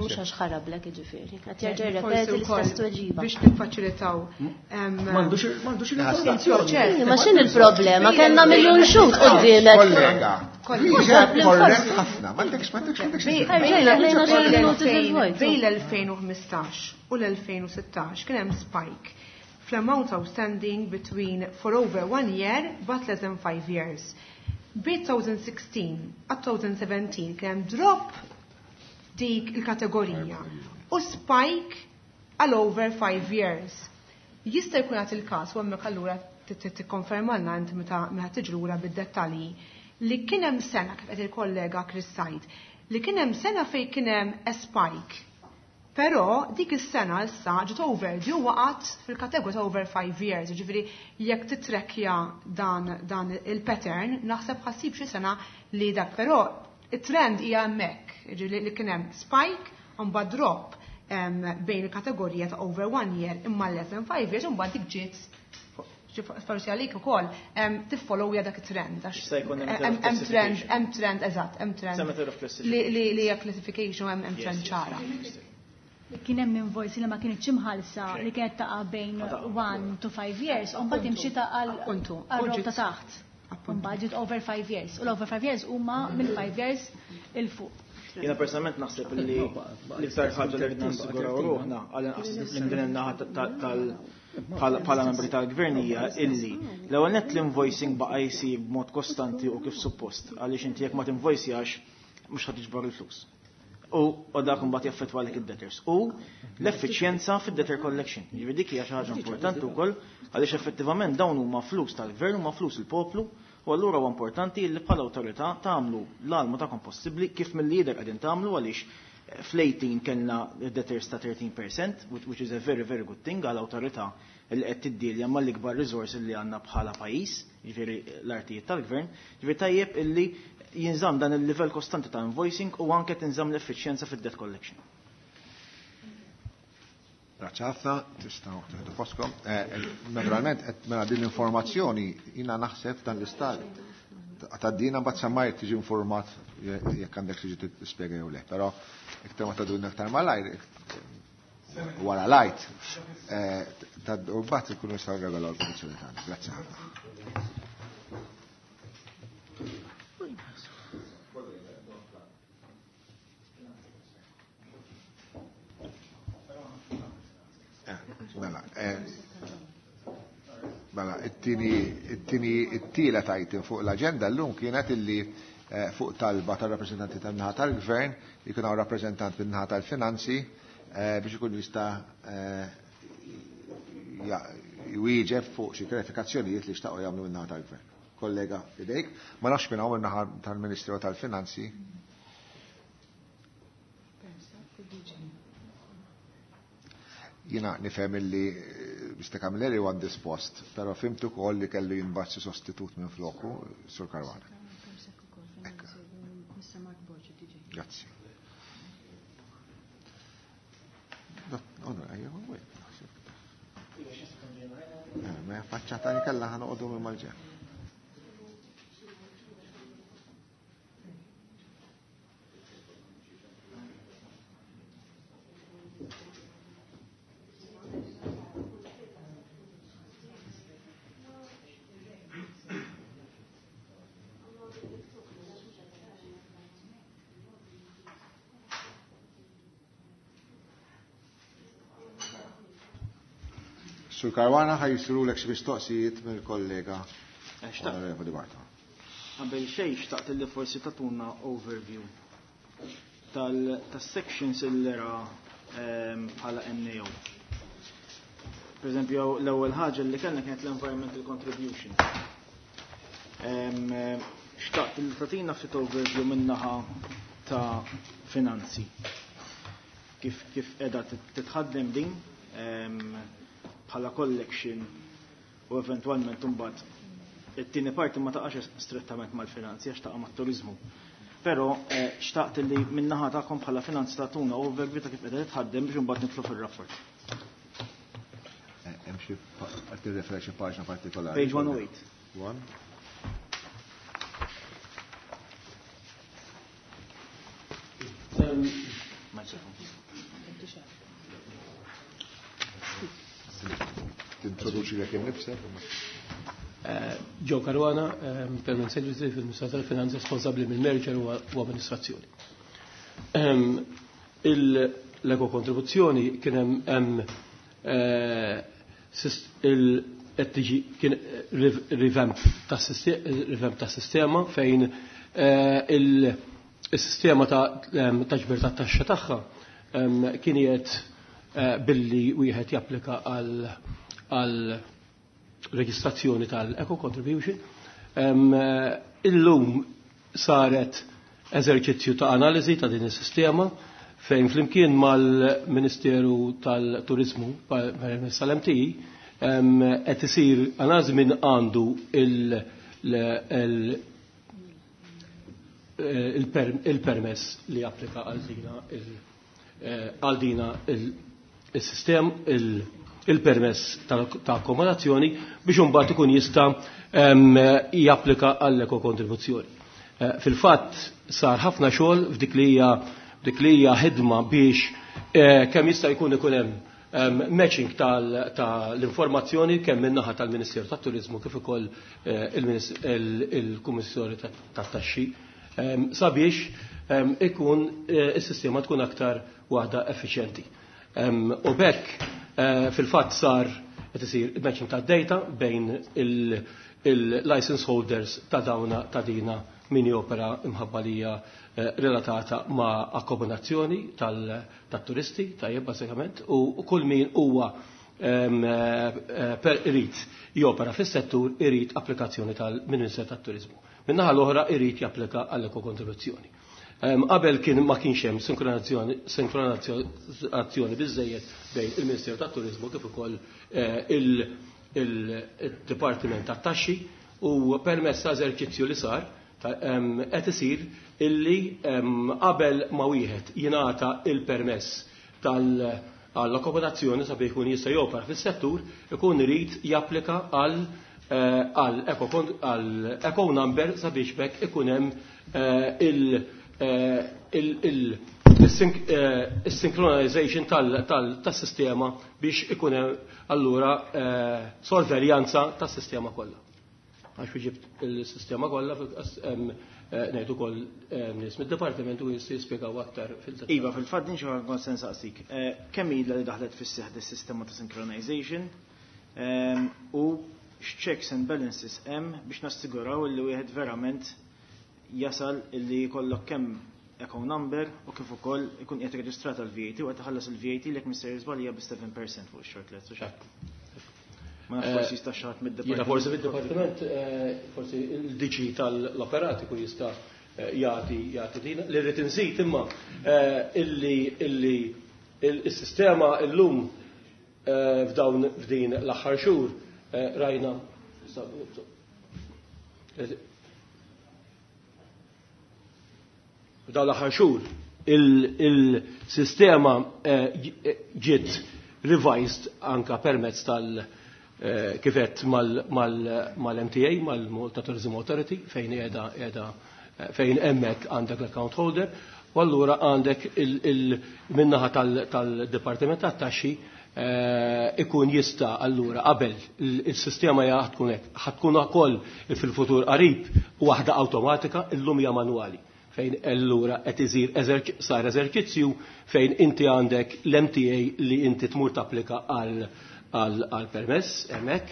Mhux għax ħarablek jiġifieri. Qed jerġa' Forsi jirrepeti wkoll l-istess tweġiba. Biex niffaċilitaw. M'għandux il-informazzjoni. Ma x'in il-problema? Kellna miljun xhud quddiemek. Kollega, Kollega. korrett ħafna, m'għandekx, m'għandekx, m'għandekx. Ħarġejna lejna xi minuti fil-vojt. Bejn l-2015 u l-2016 kien hemm spike fl-amount outstanding between for over 1 year but less than 5 years. Bejn 2016 għat 2017 kien hemm drop dik il-kategorija u spike għal over 5 years. Jista' jkun għat il-każ u hemmhekk allura tikkonfermalna inti meta tiġi lura bid-dettalji li kien hemm sena kif qed il-kollega Chris Said li kien hemm sena fejn kien hemm a spike. Però dik is-sena issa ġiet overdue waqgħet fil-kategorija ta' over 5 years, jiġifieri jekk titrekkja dan il-pattern naħseb ħassib xi sena li dak, però it-trend hija hemmhekk, jiġifieri li kien hemm spike u mbagħad drop bejn il-kategorija ta' over 1 year imma less than 5 years u mbagħad dik ġiet forsi għalik ukoll tiffollowja dak it-trend għax Jista' jkun hemm hemm trend, classification. hemm trend, eżatt, hemm trend Some method of classification. li hija classification hemm Yes, trend yes, ċara. yes, yes. Kien hemm invoice li ma kienx imħallsa li kienet taqa' bejn 1 to 5 years, u mbagħad imxi ta' għal row ta' taħt. Mbagħad ġiet over 5 years. U l-over 5 years huma mill 5 years il fuq. Jiena personalment naħseb li l-iktar ħaġa li rridna nassiguraw ruħna għal inqas minn din in-naħa bħala membri tal-gvern hija illi l-ewwel nett l-invoicing baqa' jsir b'mod kostanti u kif suppost għaliex inti jekk ma tinvoicjax mhux ħadd tiġbor il-flus. U dak imbagħad jaffettwa għalik id-debtors. U l-effiċjenza fid-debtor collection. Jiġifieri dik hija xi ħaġa importanti wkoll għaliex effettivament dawn huma flus tal-gvern huma flus il-poplu u allura huwa importanti li bħala awtorità tagħmlu l-almu tagħkom possibbli kif mill-lider qegħdin tagħmlu għaliex fl-18 kellna debtors ta' 13%, which is a very, very good thing għal awtorità li qed tiddilja mal-ikbar resource li għandna bħala pajjiż, jiġifieri l-artijiet tal-gvern, jiġifieri tajjeb illi jinżamm dan il-livell kostanti ta' invoicing u anke tinżamm l-effiċjenza fid-debt collection. Grazzi ħafna, tistgħu tieħdu postkom. Naturalment, qed mela din l-informazzjoni jiena naħseb dan l-istat tgħaddina mbagħad semmai tiġi informat jekk għandek tiġi tispjega jew le, però iktar ma tgħadulna aktar malajr wara lajt, u mbagħad ikunu nistgħu nregolaw l-pożizzjoni tagħna. Grazzi ħafna. Mela, mela, it-tieni it-tielet item fuq l-aġenda llum kienet illi fuq talba tar-rappreżentanti tan-naħa tal-Gvern jkun hawn rappreżentant min-naħa tal-Finanzi biex ikun jista' jwieġeb fuq xi klarifikazzjonijiet li xtaqgħu jagħmlu min-naħa tal-Gvern. Kollega idejk, ma nafx minn hawn min-naħa tal-Ministru tal-Finanzi. Jiena nifhem illi Mr. Camilleri huwa indispost, però fimtu ukoll li kellu jinbagħat xi sostitut minn floku, Sur Caruana. Grazzi. Ma faċċata li kellha ħa noqogħdu minn mal-ġenb. Sur Caruana ħaj jisirulek xi mistoqsijiet mill-kollega Onorevoli Bartolo. Qabel xejn xtaqt li forsi tagħtuna overview tas-sections illi ra bħala NAO. Per eżempju, l-ewwel ħaġa li kellna kienet l-environmental contribution. Xtaqt li tagħtina ftit overview min-naħa ta' finanzi. Kif qiegħda titħaddem din bħala collection u eventwalment imbagħad it-tieni parti ma taqax strettament mal-finanzi għax taqa' mat-turiżmu. Però xtaqt li min-naħa tagħkom bħala finanzi tagħtuna overview ta' kif qiegħda titħaddem biex imbagħad nidħlu fir-rapport. Hemm xi qed tirreferi xi paġna partikolari. Page 108. One. Tintroduċi lek innifsek. Joe Caruana, Permanent Secretary fil-Ministeru tal-Finanzi responsabbli mill-merger u amministrazzjoni. L-ekokontribuzzjoni kien hemm qed tiġi kien revamp tas-sistema fejn il-sistema ta' ġbir tat-taxxa tagħha kien qiegħed billi wieħed japplika għal reġistrazzjoni tal-Eco Contribution. Illum saret eżerċizzju ta' analiżi ta' din is-sistema fejn flimkien mal-Ministeru tal-Turizmu permezz tal-MTI qed isir analiżi minn għandu il-permess li applika għal dina il-sistem il-permess ta' akkomodazzjoni biex imbagħad ikun jista' japplika għall-eko kontribuzzjoni. Fil-fatt sar ħafna xogħol f'dik li hija dik li hija ħidma biex kemm jista' jkun ikun hemm matching tal-informazzjoni kemm min-naħa tal-Ministeru tat-Turiżmu kif ukoll il-Kummissjoni tat-Taxxi sabiex ikun is-sistema tkun aktar waħda effiċjenti. U bekk fil-fatt sar qed isir matching tad-data bejn il-license holders ta' dawna ta' dina min jopera imħabba li hija relatata ma' akkomodazzjoni tat-turisti, tajjeb bażikament, u kull min huwa per irid jopera fis-settur irid applikazzjoni tal-Ministeru tat-Turiżmu. Min-naħa l-oħra irid japplika għall-ekokontribuzzjoni. Qabel kien ma kienx hemm sinkronizzazzjoni biżejjed bejn il-Ministeru tat-Turiżmu kif ukoll il-Dipartiment tat-Taxxi u permezz ta' eżerċizzju li sar qed isir illi qabel ma wieħed jingħata il-permess għall-akkomodazzjoni sabiex ikun jista' jopera fis-settur ikun irid japplika għal eco number sabiex bekk ikun hemm il-synchronization tas-sistema biex ikun hemm allura sorveljanza tas-sistema kollha. Għax ġibt il-sistema kollha ngħid ukoll nies mid-dipartiment u jistgħu jispjegaw aktar fil-dettall. Iva, fil-fatt din xi ħaġa kont se nsaqsik. Kemm ilha li daħlet fis-seħħ dis-sistema ta' synchronization u x'checks and balances hemm biex nassiguraw li wieħed verament jasal illi jkollok kemm eco number u kif ukoll ikun qiegħed reġistrat għal VAT u qed iħallas il-VAT li jekk mister żball hija bi 7% fuq ix-short lets u x'hekk. Ma nafx forsi jista' xi ħadd mid-dipartiment. Jiena forsi mid-dipartiment, forsi il-DG tal-operati kun jista' jagħti jagħti din. Li rrid inżid imma illi illi il-sistema illum f'dawn f'din l-aħħar xhur rajna f'dawn l-aħħar xhur il-sistema ġiet revised anka permezz tal kifet mal-MTA, mal-Malta Tourism Authority, fejn qiegħda qiegħda fejn hemmhekk għandek l-account holder, u allura għandek il-minnaħa tal-Dipartiment tat-Taxxi ikun jista' allura qabel il-sistema hija tkun hekk, ħa tkun ukoll fil-futur qarib waħda awtomatika, illum hija manwali fejn allura qed isir sar eżerċizzju fejn inti għandek l-MTA li inti tmur tapplika għal permess hemmhekk.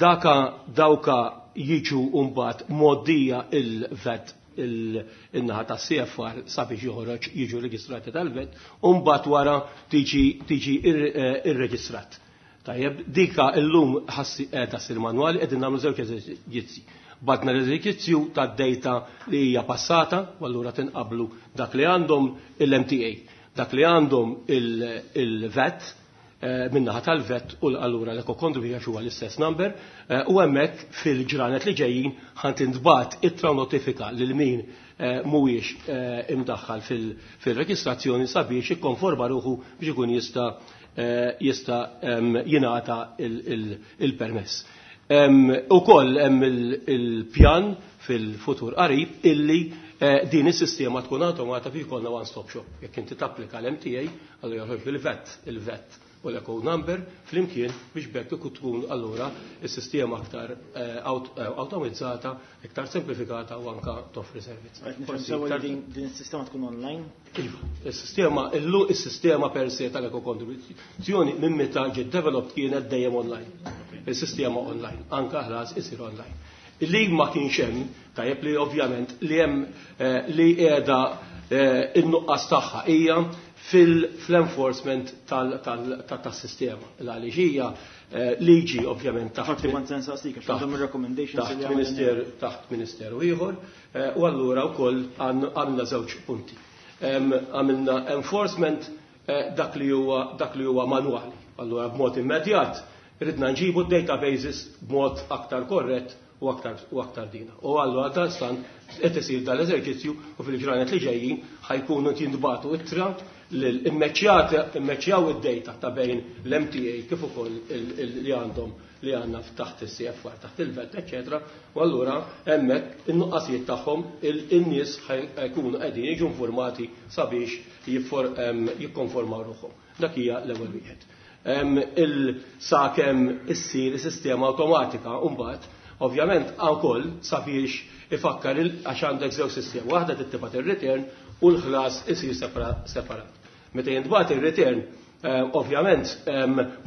Daka dawka jiġu mbagħad moddija il-VAT il-naħa ta' CFR sabiex joħroġ jiġu reġistrati tal-VAT u mbagħad wara tiġi irreġistrat. Tajjeb, dika illum ħassi qiegħda ssir manwali qegħdin nagħmlu żewġ eżerċizzi. Batna l-eżerċizzju tad-data li hija passata, u allura tinqablu dak li għandhom il-MTA, dak li għandhom il-VAT, minnaħa tal-VAT u allura l-eco contribution huwa l-istess number, u hemmhekk fil-ġranet li ġejjin ħan tintbagħat ittra notifika lil min mhuwiex imdaħħal fil-reġistrazzjoni sabiex ikkonforma ruħu biex ikun jista' jingħata il-permess. Ukoll hemm il-pjan fil-futur qarib illi din is-sistema tkun awtomata biex ikollna one-stop shop. Jekk inti tapplika l-MTA, allura joħroġ il-VAT u l-eco number flimkien biex bekk ikun tkun allura is-sistema aktar automatizzata, iktar semplifikata u anka toffri servizz. Qed nifhem sewa li din is-sistema tkun online? Iva, is-sistema illu is-sistema per se tal-eco contribuzzjoni minn meta ġiet developed kienet dejjem online. Il-sistema online, anka ħlas isir online. Li ma kienx hemm, tajjeb li ovvjament li hemm li qiegħda in-nuqqas tagħha hija fil-enforcement tas-sistema. Għaliex hija liġi ovvjament taħt taħt ministeru ieħor, u allura wkoll għandna żewġ punti. Għamilna enforcement dak li huwa manwali. Allura b'mod immedjat ridna nġibu databases b'mod aktar korrett u aktar dina. U allura dan stan qed isir dal-eżerċizzju u fil-ġranet li ġejjin ħajkunu jintbagħtu ittra l-immeċjaw id-data ta' bejn l-MTA kif ukoll li għandhom li għandna taħt il-CFR, taħt il-VAT, eccetera. U allura hemmhekk in-nuqqasijiet tagħhom in-nies ħajkunu qegħdin jiġu informati sabiex jikkonformaw ruħhom. Dak hija l-ewwel wieħed. Il-sakemm issir is-sistema awtomatika mbagħad ovvjament ukoll sabiex ifakkar għax għandek żewġ sistemi, waħda tittibat ir-return u l-ħlas isir separat. Meta jintbagħat ir-return, ovvjament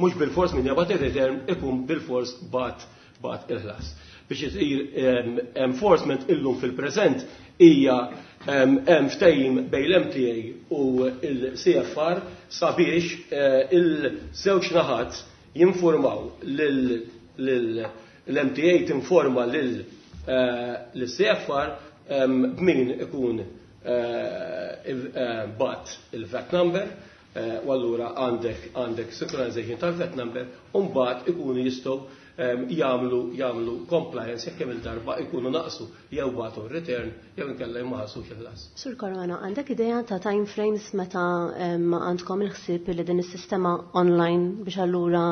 mhux bil-fors min jabgħat ir-return ikun bil-fors bat il-ħlas. Biex isir enforcement illum fil-preżent hija hemm ftehim bejn l-MTA u l-CFR sabiex il-żewġ naħat jinformaw l-MTA tinforma lill-CFR b'min ikun bat il-VAT number. U allura għandek synchronization tal-VAT number u mbagħad ikunu jistgħu jagħmlu compliance jekk kemm il-darba ikunu naqsu jew bagħtu return jew inkella ma ħallsux il-ħlas. Sur Caruana, għandek idea ta' time frames meta għandkom il-ħsieb li din is-sistema online biex allura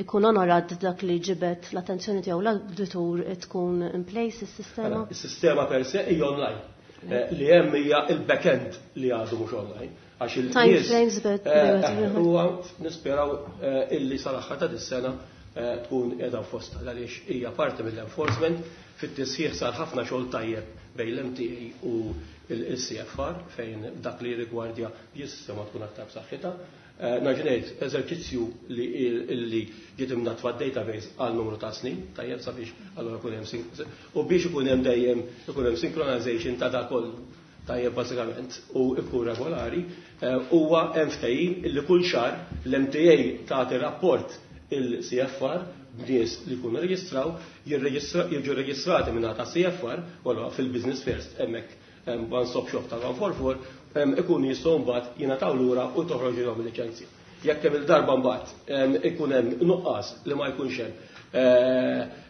ikun onorat dak li ġibet l-attenzjoni tiegħu l-auditur tkun in place is-sistema? Is-sistema per se hija online. Li hemm hija il-back-end li għadu mhux online. Għax il Time frames but huwa nisperaw illi sal-aħħar ta' dis-sena tkun qiegħda fosta għaliex hija parti mill-enforcement. Fit-tisħiħ sar ħafna xogħol tajjeb bejn l-MTA u l-CFR fejn dak li rigwardja is-sistema tkun aktar b'saħħitha. Naġnejt eżerċizzju li ġiet imnatfa database għal numru ta' snin, tajjeb sabiex allura ikun hemm u biex ikun hemm dejjem ikun hemm synchronization ta' dak kollu tajjeb bażikament u ikun regolari, huwa hemm ftehim illi kull xahar l-MTA tagħti rapport il-CFR b'nies li jkunu reġistraw, jiġu reġistrati minn ta' CFR, u allura fil-Business First hemmhekk one stop shop ta' 144, ikun jistgħu mbagħad jingħataw lura u toħroġilhom il-liċenzja. Jekk hemm il-darba mbagħad ikun hemm nuqqas li ma jkunx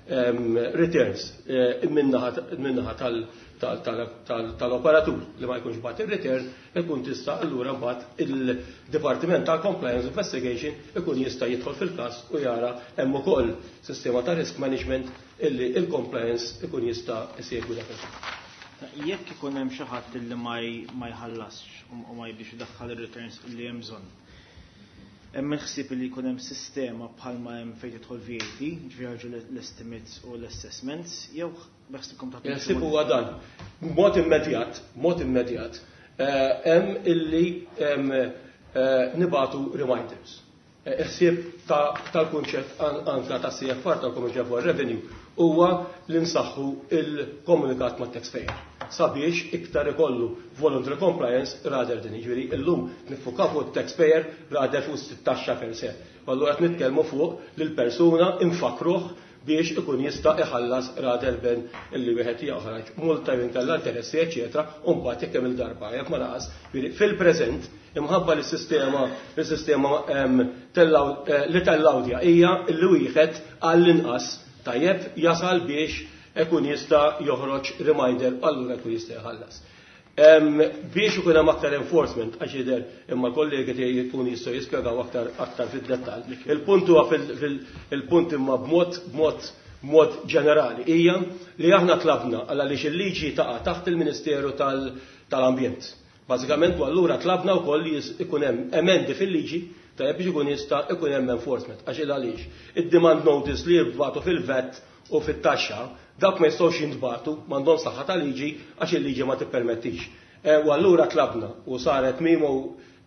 hemm returns min-naħa tal-operatur li ma jkunx bagħat ir-return, ikun tista' allura mbagħad il-Dipartiment tal-Compliance Investigation ikun jista' jidħol fil-każ u jara hemm ukoll sistema ta' risk management illi il-compliance ikun jista' isegwi dak il-każ. Jekk ikun hemm xi ħadd illi ma jħallasx u ma jibdix idaħħal ir-returns illi hemm bżonn. Hemm il-ħsieb li jkun hemm sistema bħalma hemm fejn tidħol VAT, ġifieri ħarġu l-estimates u l-assessments, jew beħsibkom ta' Il-ħsieb huwa dan. Mod immedjat, hemm illi nibatu reminders. Il-ħsieb tal-kunċett anka ta' CFR tal-Commercial for Revenue huwa li nsaħħu il-komunikat ma' taxpayer sabiex iktar ikollu voluntary compliance rather than jiġifieri illum nifukaw fuq taxpayer rather fuq taxxa per se. Allura qed nitkellmu fuq lil persuna infakruh biex ikun jista' iħallas rather than illi wieħed joħroġ multa jew inkella interessi eċetera u mbagħad jekk hemm il-darba jekk ma naqas. Jiġifieri fil-preżent imħabba li s-sistema li tellawdja hija li wieħed għall-inqas tajjeb jasal biex ikun jista' joħroġ reminder allura jkun jista' jħallas. Biex ikun hemm aktar enforcement għax jidher imma kollegi tiegħi jkun jistgħu jispjegaw aktar fid-dettall. Il-punt huwa il-punt imma b'mod ġenerali hija li aħna tlabna għaliex il-liġi taqa' taħt il-Ministeru tal-Ambjent. Bażikament u allura tlabna wkoll li ikun hemm emendi fil-liġi tajjeb biex ikun jista' ikun hemm enforcement. Għax il għaliex id-demand notice li jibgħatu fil-VAT u fit-taxxa dak ma jistgħux jintbagħtu m'għandhom saħħa ta' liġi għax il-liġi ma tippermettix. U allura tlabna u saret memo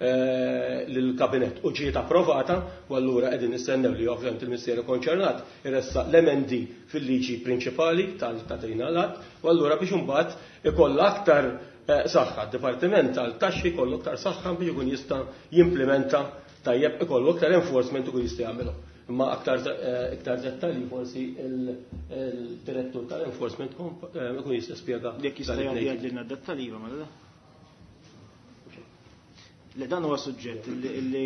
lill-kabinett u ġiet approvata u allura qegħdin nistennew li ovvjament il-Ministeru konċernat iressaq l-emendi fil-liġi prinċipali ta' din l-att u allura biex imbagħad ikollha aktar saħħa. D-Dipartiment tal-Taxxi jkollu aktar saħħa biex ikun jista' jimplementa tajjeb ikollu aktar enforcement u jista' jagħmilhom. Imma iktar dettalji forsi il-direttur tal-enforcement ikun jista' spjega. Jekk jista' jgħidilna dettalji iva, mela. Le dan huwa suġġett li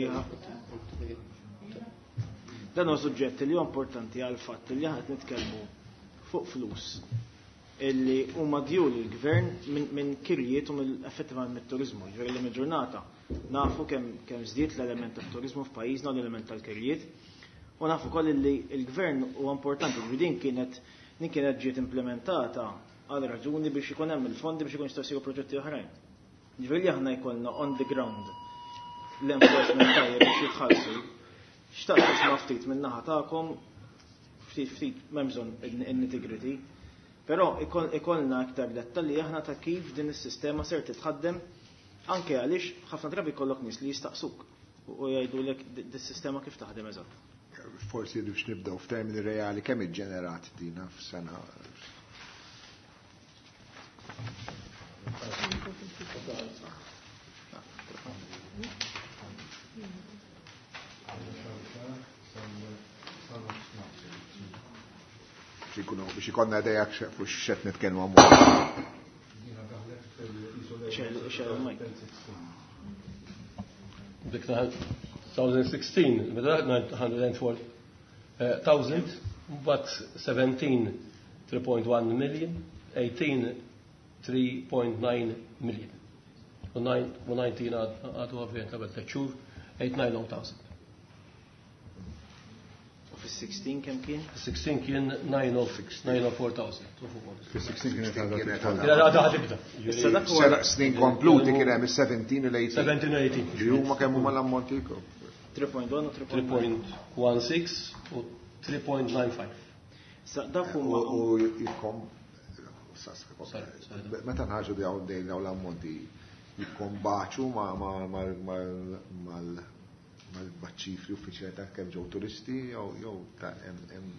dan huwa suġġett li huwa importanti għal fatt li aħna qed nitkellmu fuq flus illi huma due lill-gvern minn kirjiet u mill-effettivament mit-turizmu. Ġifieri li mill-ġurnata nafu kemm żdied l-element tat-turizmu f'pajjiżna u l-element tal-kirjiet. U nafu wkoll li l-gvern huwa importanti, ġifieri din kienet ġiet implementata għal raġuni biex ikun hemm il-fondi biex ikun jistgħu jsiru proġetti oħrajn. Ġifieri li aħna jkollna on the ground l-enforcement tajjeb biex jitħallsu. Xtaqt nisma' ftit min-naħa tagħkom, ftit ftit m'hemm bżonn in-nitty-gritty, però ikollna aktar dettalji aħna ta' kif din is-sistema ser titħaddem anke għaliex ħafna drabi jkollok nies li jistaqsuk u jgħidulek dis-sistema kif taħdem eżatt. Forsi biex nibdew f'termini reali kemm iġġenerat dina f'sena? Biex ikonna idea fuq x'qed nitkellmu hawn. Dik 2016, meta 904,000, mbagħad 17 3.1 million, 18 3.9 million. U 19 għadu għavjen qabel tliet xhur 890,000. U fis-16 kemm kien? Fis-16 kien 904,000. Fis-16 kienet għadha ħatibda. Issa dak huwa snin kompluti kien hemm is-17 u l-18. 17 u 18. Ġi huma kemm huma l-ammonti 3.1 u 3.16 u 3.95. Sa dak huma u jikkom meta nħarġu dawn dejn dawn l-ammonti jikkombaċu mal-ċifri uffiċjali ta' kemm ġew turisti jew ta' hemm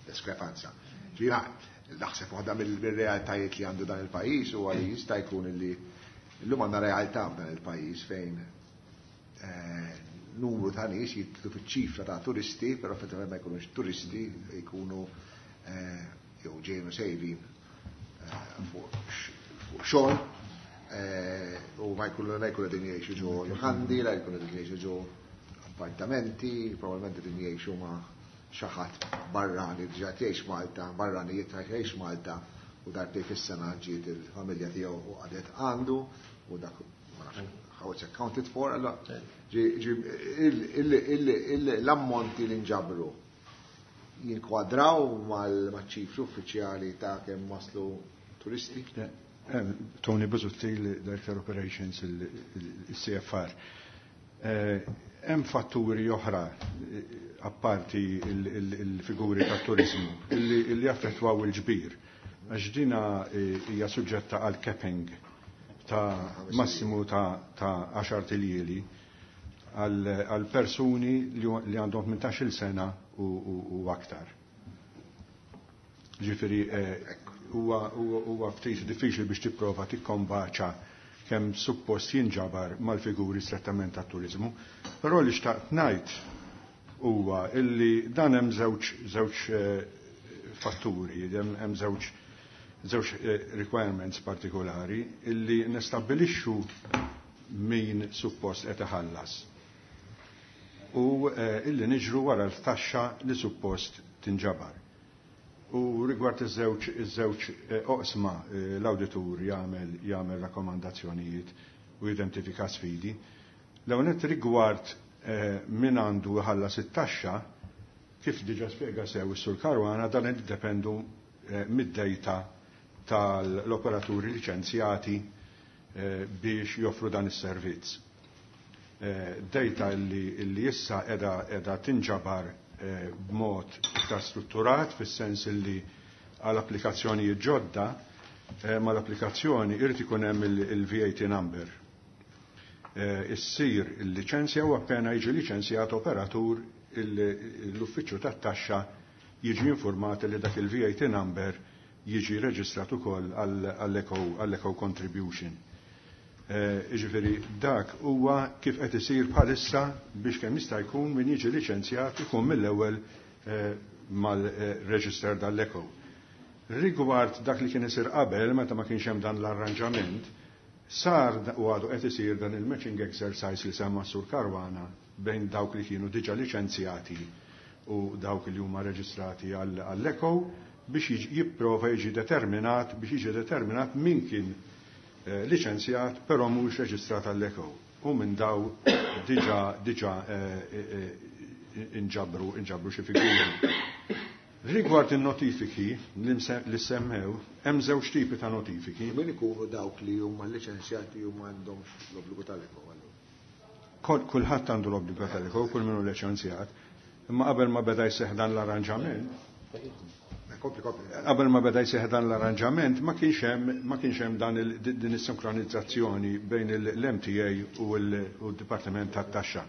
diskrepanza. Ġifieri naħseb waħda mill-realtajiet li għandu dan il-pajjiż huwa li jista' jkun li llum għandna realtà f'dan il-pajjiż fejn numru ta' nies jitlu fiċ-ċifra ta' turisti, però effettivament ma jkunux turisti, jkunu jew ġejnu sejrin fuq xogħol u ma jkunu la jkunu qegħdin jgħixu ġo lukandi, la jkunu qegħdin jgħixu ġo appartamenti, probabbilment qegħdin jgħixu ma' xi ħadd barrani diġà jgħix Malta, barrani jgħix Malta u darbtejn fis-sena ġiet il-familja tiegħu u qagħdet għandu u dak ma nafx how it's accounted for, allora l-ammonti li nġabru jinkwadraw mal-ċifri uffiċjali ta' kemm waslu turisti? Tony Busuttil, Director Operations, il-CFR. Hemm fatturi oħra apparti il-figuri ta' turizmu illi jaffettwaw il-ġbir. Għax dina hija suġġetta għal capping ta' massimu ta' 10 iljieli għal persuni li għandhom 18-il sena u aktar. Ġifieri huwa ftit diffiċli biex tipprova tikkombaċa kemm suppost jinġabar mal-figuri strettament tat-turizmu, però li xtaqt ngħid huwa illi dan hemm żewġ fatturi, hemm żewġ requirements partikolari illi nestabbilixxu min suppost qed iħallas u illi niġru wara l-taxxa li suppost tinġabar. U rigward iż-żewġ oqsma l-awditur jagħmel rakkomandazzjonijiet u jidentifika sfidi. L-ewwel rigward min għandu jħallas it-taxxa, kif diġà spjega sew is-Sur Caruana, dan jiddependu mid-dejta tal-operaturi liċenzjati biex joffru dan is-servizz. Dejta li issa edha tinġabar b'mod iktar strutturat, fis-sens li għal applikazzjoni ġodda, ma l-applikazzjoni irid ikun hemm il-VAT number. Issir il-liċenzja u appena jiġi liċenzjat operatur l-uffiċċju tat-taxxa jiġi informat li dak il-VAT number jiġi reġistrat ukoll għall-eco contribution. Jiġifieri dak huwa kif qed isir bħalissa biex kemm jista' jkun min jiġi liċenzjat ikun mill-ewwel mal-reġister dal-eco. Rigward dak li kien isir qabel meta ma kienx hemm dan l-arranġament, sar u għadu qed isir dan il-matching exercise li semma Sur Caruana bejn dawk li kienu diġà liċenzjati u dawk li huma reġistrati għall-eco biex jipprova jiġi determinat biex jiġi determinat min kien liċenzjat però mhux reġistrat għall-eco. U minn daw diġà inġabru xi figuri. Rigward in-notifiki li semmew, hemm żewġ tipi ta' notifiki. Min ikunu dawk li huma liċenzjati u m'għandhomx l-obbligu tal-eco? Kulħadd għandu l-obbligu tal-eco, kull min hu liċenzjat. Imma qabel ma beda jseħħ dan l-arranġament, qabel ma beda jseħħ dan l-arranġament, ma kienx hemm dan din is-sinkronizzazzjoni bejn l-MTA u d-Dipartiment tat-Taxxa.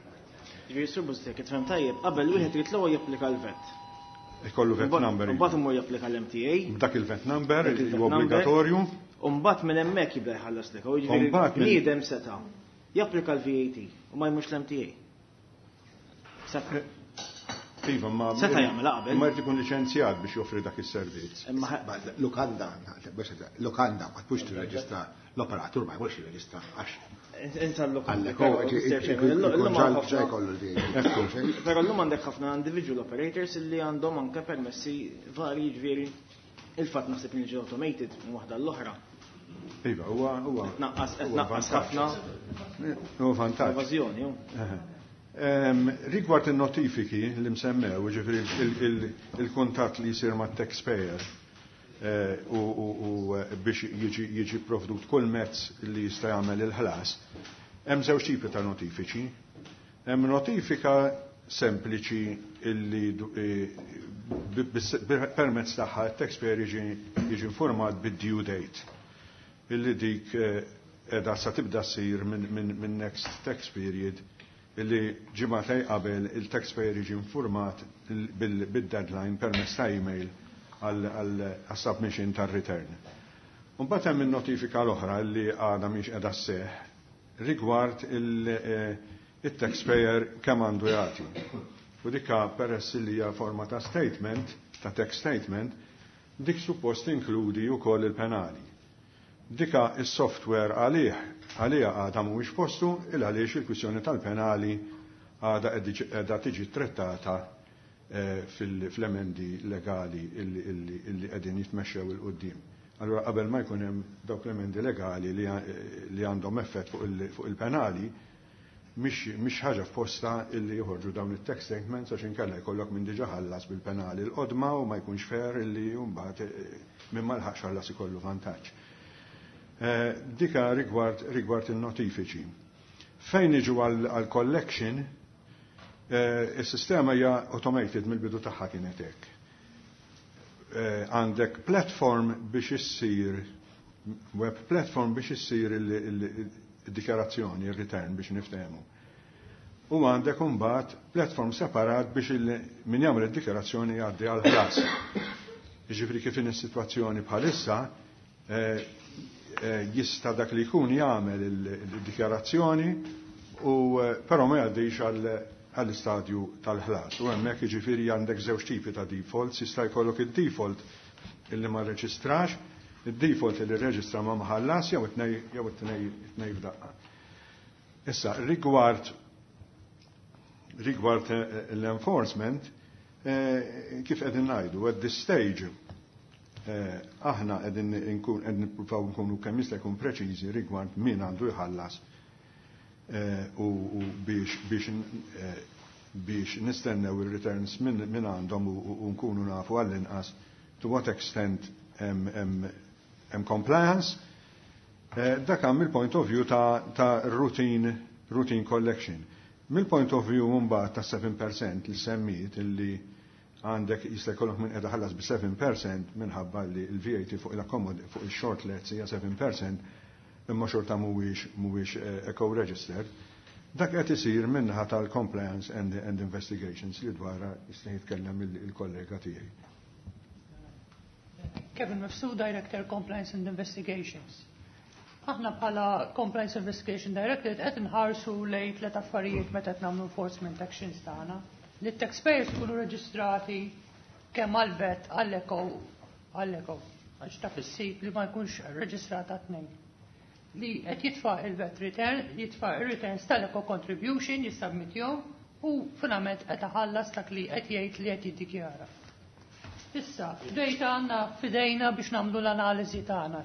Ġifieri Sur Busuttil, kif tfhem tajjeb, qabel wieħed irid l-ewwel japplika l-VAT. Ikollu VAT number. Mbagħad imur japplika l-MTA. Dak il-VAT number Dak il-VAT huwa number. obbligatorju. U mbagħad minn hemmhekk jibda jħallas l-eco. Jiġifieri Mbagħad minn bniedem seta' japplika l-VAT u ma jmurx l-MTA. Iva, ma Seta' jagħmel qabel. Ma jrid ikun liċenzjat biex joffri dak is-servizz. Lukanda, lukanda, ma tmux tirreġistra, l-operatur ma jmurx jirreġistra għax. Insa l-lukanda. Però llum għandek ħafna individual operators li għandhom anke permessi varji, ġifieri il-fatt naħseb li ġi automated minn waħda l-oħra. Iva, huwa huwa. Tnaqqas tnaqqas ħafna. Huwa vantaġġ. Evażjoni. Rigward il-notifiki li msemmew, ġifieri il-kuntatt li jsir ma' taxpayer u biex jiġi provdut kull mezz li jista' jagħmel il-ħlas, hemm żewġ tipi ta' notifiċi. Hemm notifika sempliċi illi permezz tagħha t-taxpayer jiġi informat bid-due date, illi dik edha sa tibda ssir minn next tax period, illi ġimgħatej qabel il-taxpayer jiġi informat bil-deadline permezz ta' email għal-submission tar-return. Mbagħad hemm in-notifika l-oħra li għadha mhix qiegħda sseħħ rigward il-taxpayer kemm għandu jagħti. U dikka peress li hija forma ta' statement, ta' tax statement, dik suppost inkludi wkoll il-penali. Dika is-software għalih għalija għadha mhuwiex postu il għaliex il-kwistjoni tal-penali għadha qiegħda tiġi trattata fil-emendi legali illi qegħdin jitmexxew 'il quddiem. Allura qabel ma jkun hemm dawk l-emendi legali li għandhom effett fuq il-penali, mhix ħaġa f'posta illi joħorġu dawn it-tax statements, għax inkella jkollok minn diġà ħallas bil-penali l-qodma u ma jkunx fair illi mbagħad minn ma lħaqx ħallas ikollu vantaġġ. Dika rigward il-notifiċi. Fejn niġu għal collection, il-sistema hija automated, mill-bidu tagħha kienet hekk. Għandek platform biex issir, web platform biex issir il-dikjarazzjoni, il-return biex niftehmu. U għandek imbagħad platform separat biex min jagħmel id-dikjarazzjoni jgħaddi għal ħlas. Jiġifieri kif in is-sitwazzjoni bħalissa, jista' dak li jkun jagħmel il-dikjarazzjoni u però ma jgħaddix għall-istadju tal-ħlas. U hemmhekk jiġifieri għandek żewġ tipi ta' defaults, jista' jkollok id-default illi ma rreġistrax, id-default illi rreġistra ma maħallas, jew it-tnej f'daqqa. Issa, rigward l-enforcement, kif qegħdin ngħidu, at this stage aħna qegħdin nkun qegħdin nippruvaw nkunu kemm jista' jkun preċiżi rigward min għandu jħallas u biex nistennew il-returns minn għandhom u nkunu nafu għall-inqas to what extent hemm compliance. Dak hemm il-point of view ta' routine collection. Mill-point of view mbagħad ta' 7% li semmiet, illi għandek jista' jkollok minn qiegħda ħallas bi 7% minħabba li l-VAT fuq il-short lets hija 7% imma xorta mhuwiex eco registered. Dak qed isir minnaħa tal-compliance and investigations li dwarha jista' jitkellem il-kollega tiegħi. Kevin Mifsud, Director Compliance and Investigations. Aħna bħala Compliance Investigation Director qed nħarsu lejn tliet affarijiet meta qed nagħmlu enforcement actions tagħna. Li t-taxpayers ikunu reġistrati kemm għal-VAT għall-ECO, għax taf issib li ma jkunx reġistrata tnejn. Li qed jitfa' il-VAT return, jitfa' il-returns tal-ECO contribution, jissubmittjhom u finalment qed iħallas dak li qed jgħid li qed jiddikjara. Issa, data għandna fidejna biex nagħmlu l-analiżi tagħna.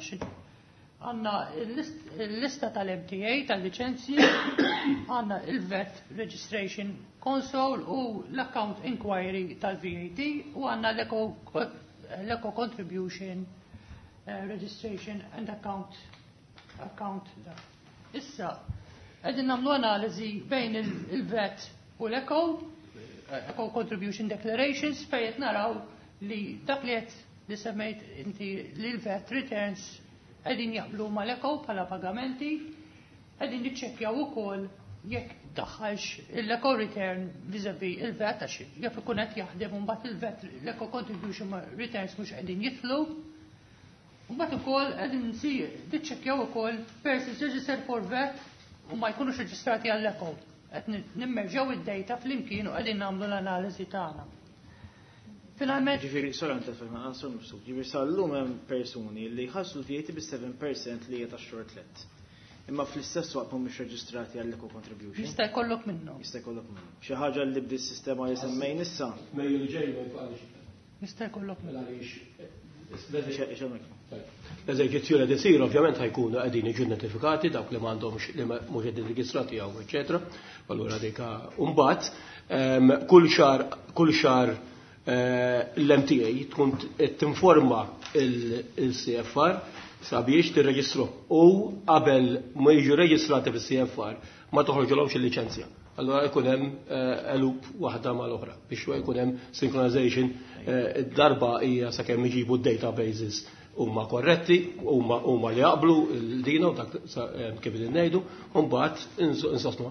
Għandna il-lista tal-MTA, tal-licenzji, għandna il-VAT Registration Console u l-Account Inquiry tal-VAT u għandna l-Eco Contribution Registration and Account da. Issa, qegħdin nagħmlu analiżi bejn il-VAT u l-Eco, Eco Contribution Declarations, fejn qed naraw li dak li qed li semmejt inti li l-VAT returns qegħdin jaqblu mal-ECO bħala pagamenti, qegħdin niċċekkjaw ukoll jekk daħħalx l-ECO return vis-a-vis il-VAT, għax jaf ikun qed jaħdem u mbagħad il-VAT l-ECO contribution returns mhux qegħdin jidħlu. U mbagħad ukoll qegħdin niċċekkjaw ukoll persons registered for VAT u ma jkunux reġistrati għall-ECO. Qed nimmerġgħu id-data flimkien u qegħdin nagħmlu l-analiżi tagħna. Finalment. Ġifieri, sorry għan telfek naqra, Sur Mifsud, ġifieri sal-lum hemm persuni li jħallsu l-VAT bis-7% li hija tax-short let. Imma fl-istess waqt mhumiex reġistrati għall-eco contribution. Jista' jkollok minnhom. Jista' jkollok minnhom. Xi ħaġa li bdi s-sistema li semmejn issa. Mejju li ġej ma jfaqalix. Jista' jkollok minnhom. L-eżerċizzju li isir ovvjament ħa jkunu qegħdin jiġu notifikati dawk li m'għandhomx, li mhux qegħdin reġistrati hawn, eċetera. Allura dik mbagħad kull xahar l-MTA tkun tinforma il-CFR sabiex tirreġistru u qabel ma jiġu reġistrati fis-CFR ma toħroġilhomx il-liċenzja. Allora jkun hemm loop waħda mal-oħra biex jkun hemm synchronization. Id-darba hija sakemm iġibu d-databases huma korretti, huma li jaqblu il-dina u dak kif qegħdin ngħidu, u mbagħad insostnu.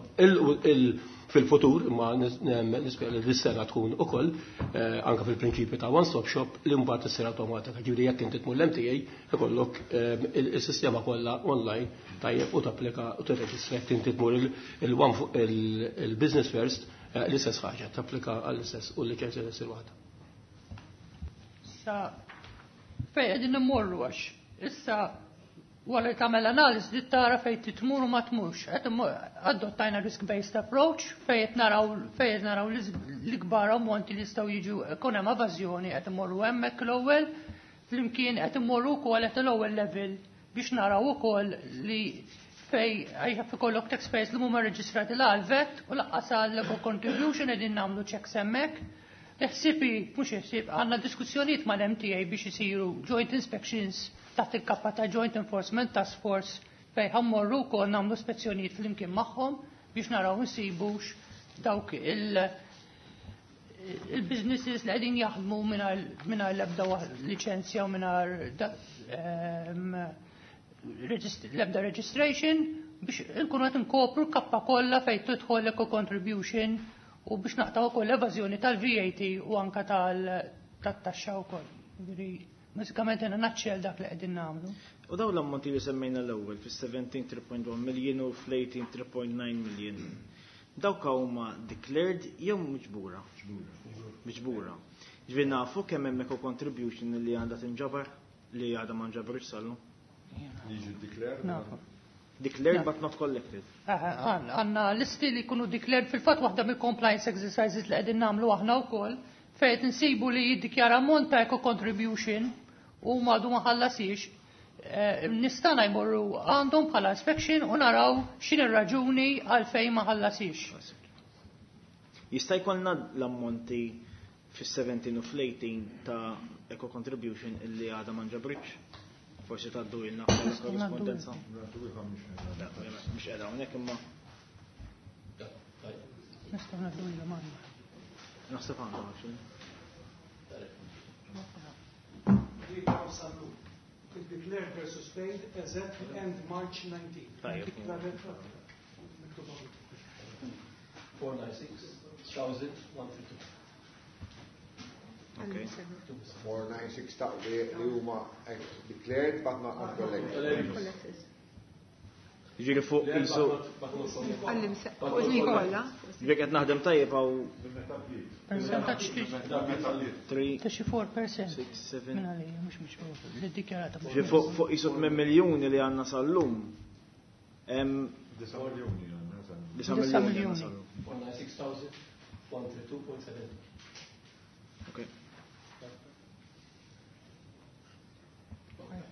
Fil-futur, imma nispera li dis-sena tkun ukoll anke fil-prinċipju ta' one stop shop li mbagħad issir awtomatika. Ġifieri jekk inti tmur l-MTA ikollok il-sistema kollha online, tajjeb, u tapplika u tirreġistra. Jekk inti tmur il-business first, l-istess ħaġa, tapplika għall-istess u l-liċenzja ssir waħda. Sa fejn qegħdin immorru, għax issa wara li tagħmel analiżi li tara fejn titmur u ma tmurx. Qed adottajna risk-based approach fejn qed naraw l-ikbar ammonti li jistgħu jiġu jkun hemm evażjoni, qed immorru hemmhekk l-ewwel, flimkien qed immorru wkoll qed l-ewwel level biex naraw ukoll li fejn għajja ikollok taxpayers li mhuma reġistrati la għal VAT u lanqas għal contribution, qegħdin nagħmlu checks hemmhekk. Ħsibi, mhux ħsieb, għandna diskussjonijiet mal-MTA biex isiru joint inspections taħt il-kappa ta' Joint Enforcement Task Force fejn ħa mmorru wkoll nagħmlu spezzjonijiet flimkien magħhom biex naraw nsibux dawk il-businesses li qegħdin jaħdmu mingħajr l-ebda liċenzja u mingħajr l-ebda registration, biex nkunu qed nkopru l-kappa kollha fejn tidħol eco contribution u biex naqtaw ukoll l-evażjoni tal-VAT u anka tal-taxxa wkoll. Ġifieri, bażikament in a nutshell dak li qegħdin nagħmlu. U dawn l-ammonti li semmejna l-ewwel fis-17 3.1 million u fl-18 3.9 million. Dawk huma declared jew miġbura? Miġbura. Ġifieri nafu kemm hemm eco contribution li għandha tinġabar li għadha ma nġabrux sal-lum? Jiġu declared? Nafu. Declared but not collected. Għandna listi li jkunu declared. Fil-fatt waħda mill-compliance exercises li qegħdin nagħmlu aħna wkoll fejn nsibu li jiddikjara ammont ta' eco contribution u madu ma ħallasix, nistana jmorru għandhom bħala inspection u naraw x'in ir-raġuni għalfejn ma ħallasix. Jista' jkollna l-ammonti fis-17 u fl-18 ta' eco contribution illi għadha ma nġabritx? Forsi tgħaddu ilna bħala korrispondenza. Mhux qiegħda hawnhekk imma. Nistgħu ngħaddu ilhom għandna. Naħseb għandhom, actually. Declared versus paid as at end March 19. Tajjeb. 496,132. Okay. 496 ta' li huma declared but not collected. Ġifieri fuq jisu. Għallim, fuq iż kollha. Ġifieri qed naħdem tajjeb għaw. Percentaġġ 3 ta' xi 4%. 6, 7. Minn għalija, mhux li ddikjarata. Ġifieri fuq jisu 8 miljuni li għandna sal-lum. 9 miljoni għandna sal-lum. 9 miljoni għandna sal-lum. 496,132.70. Okay.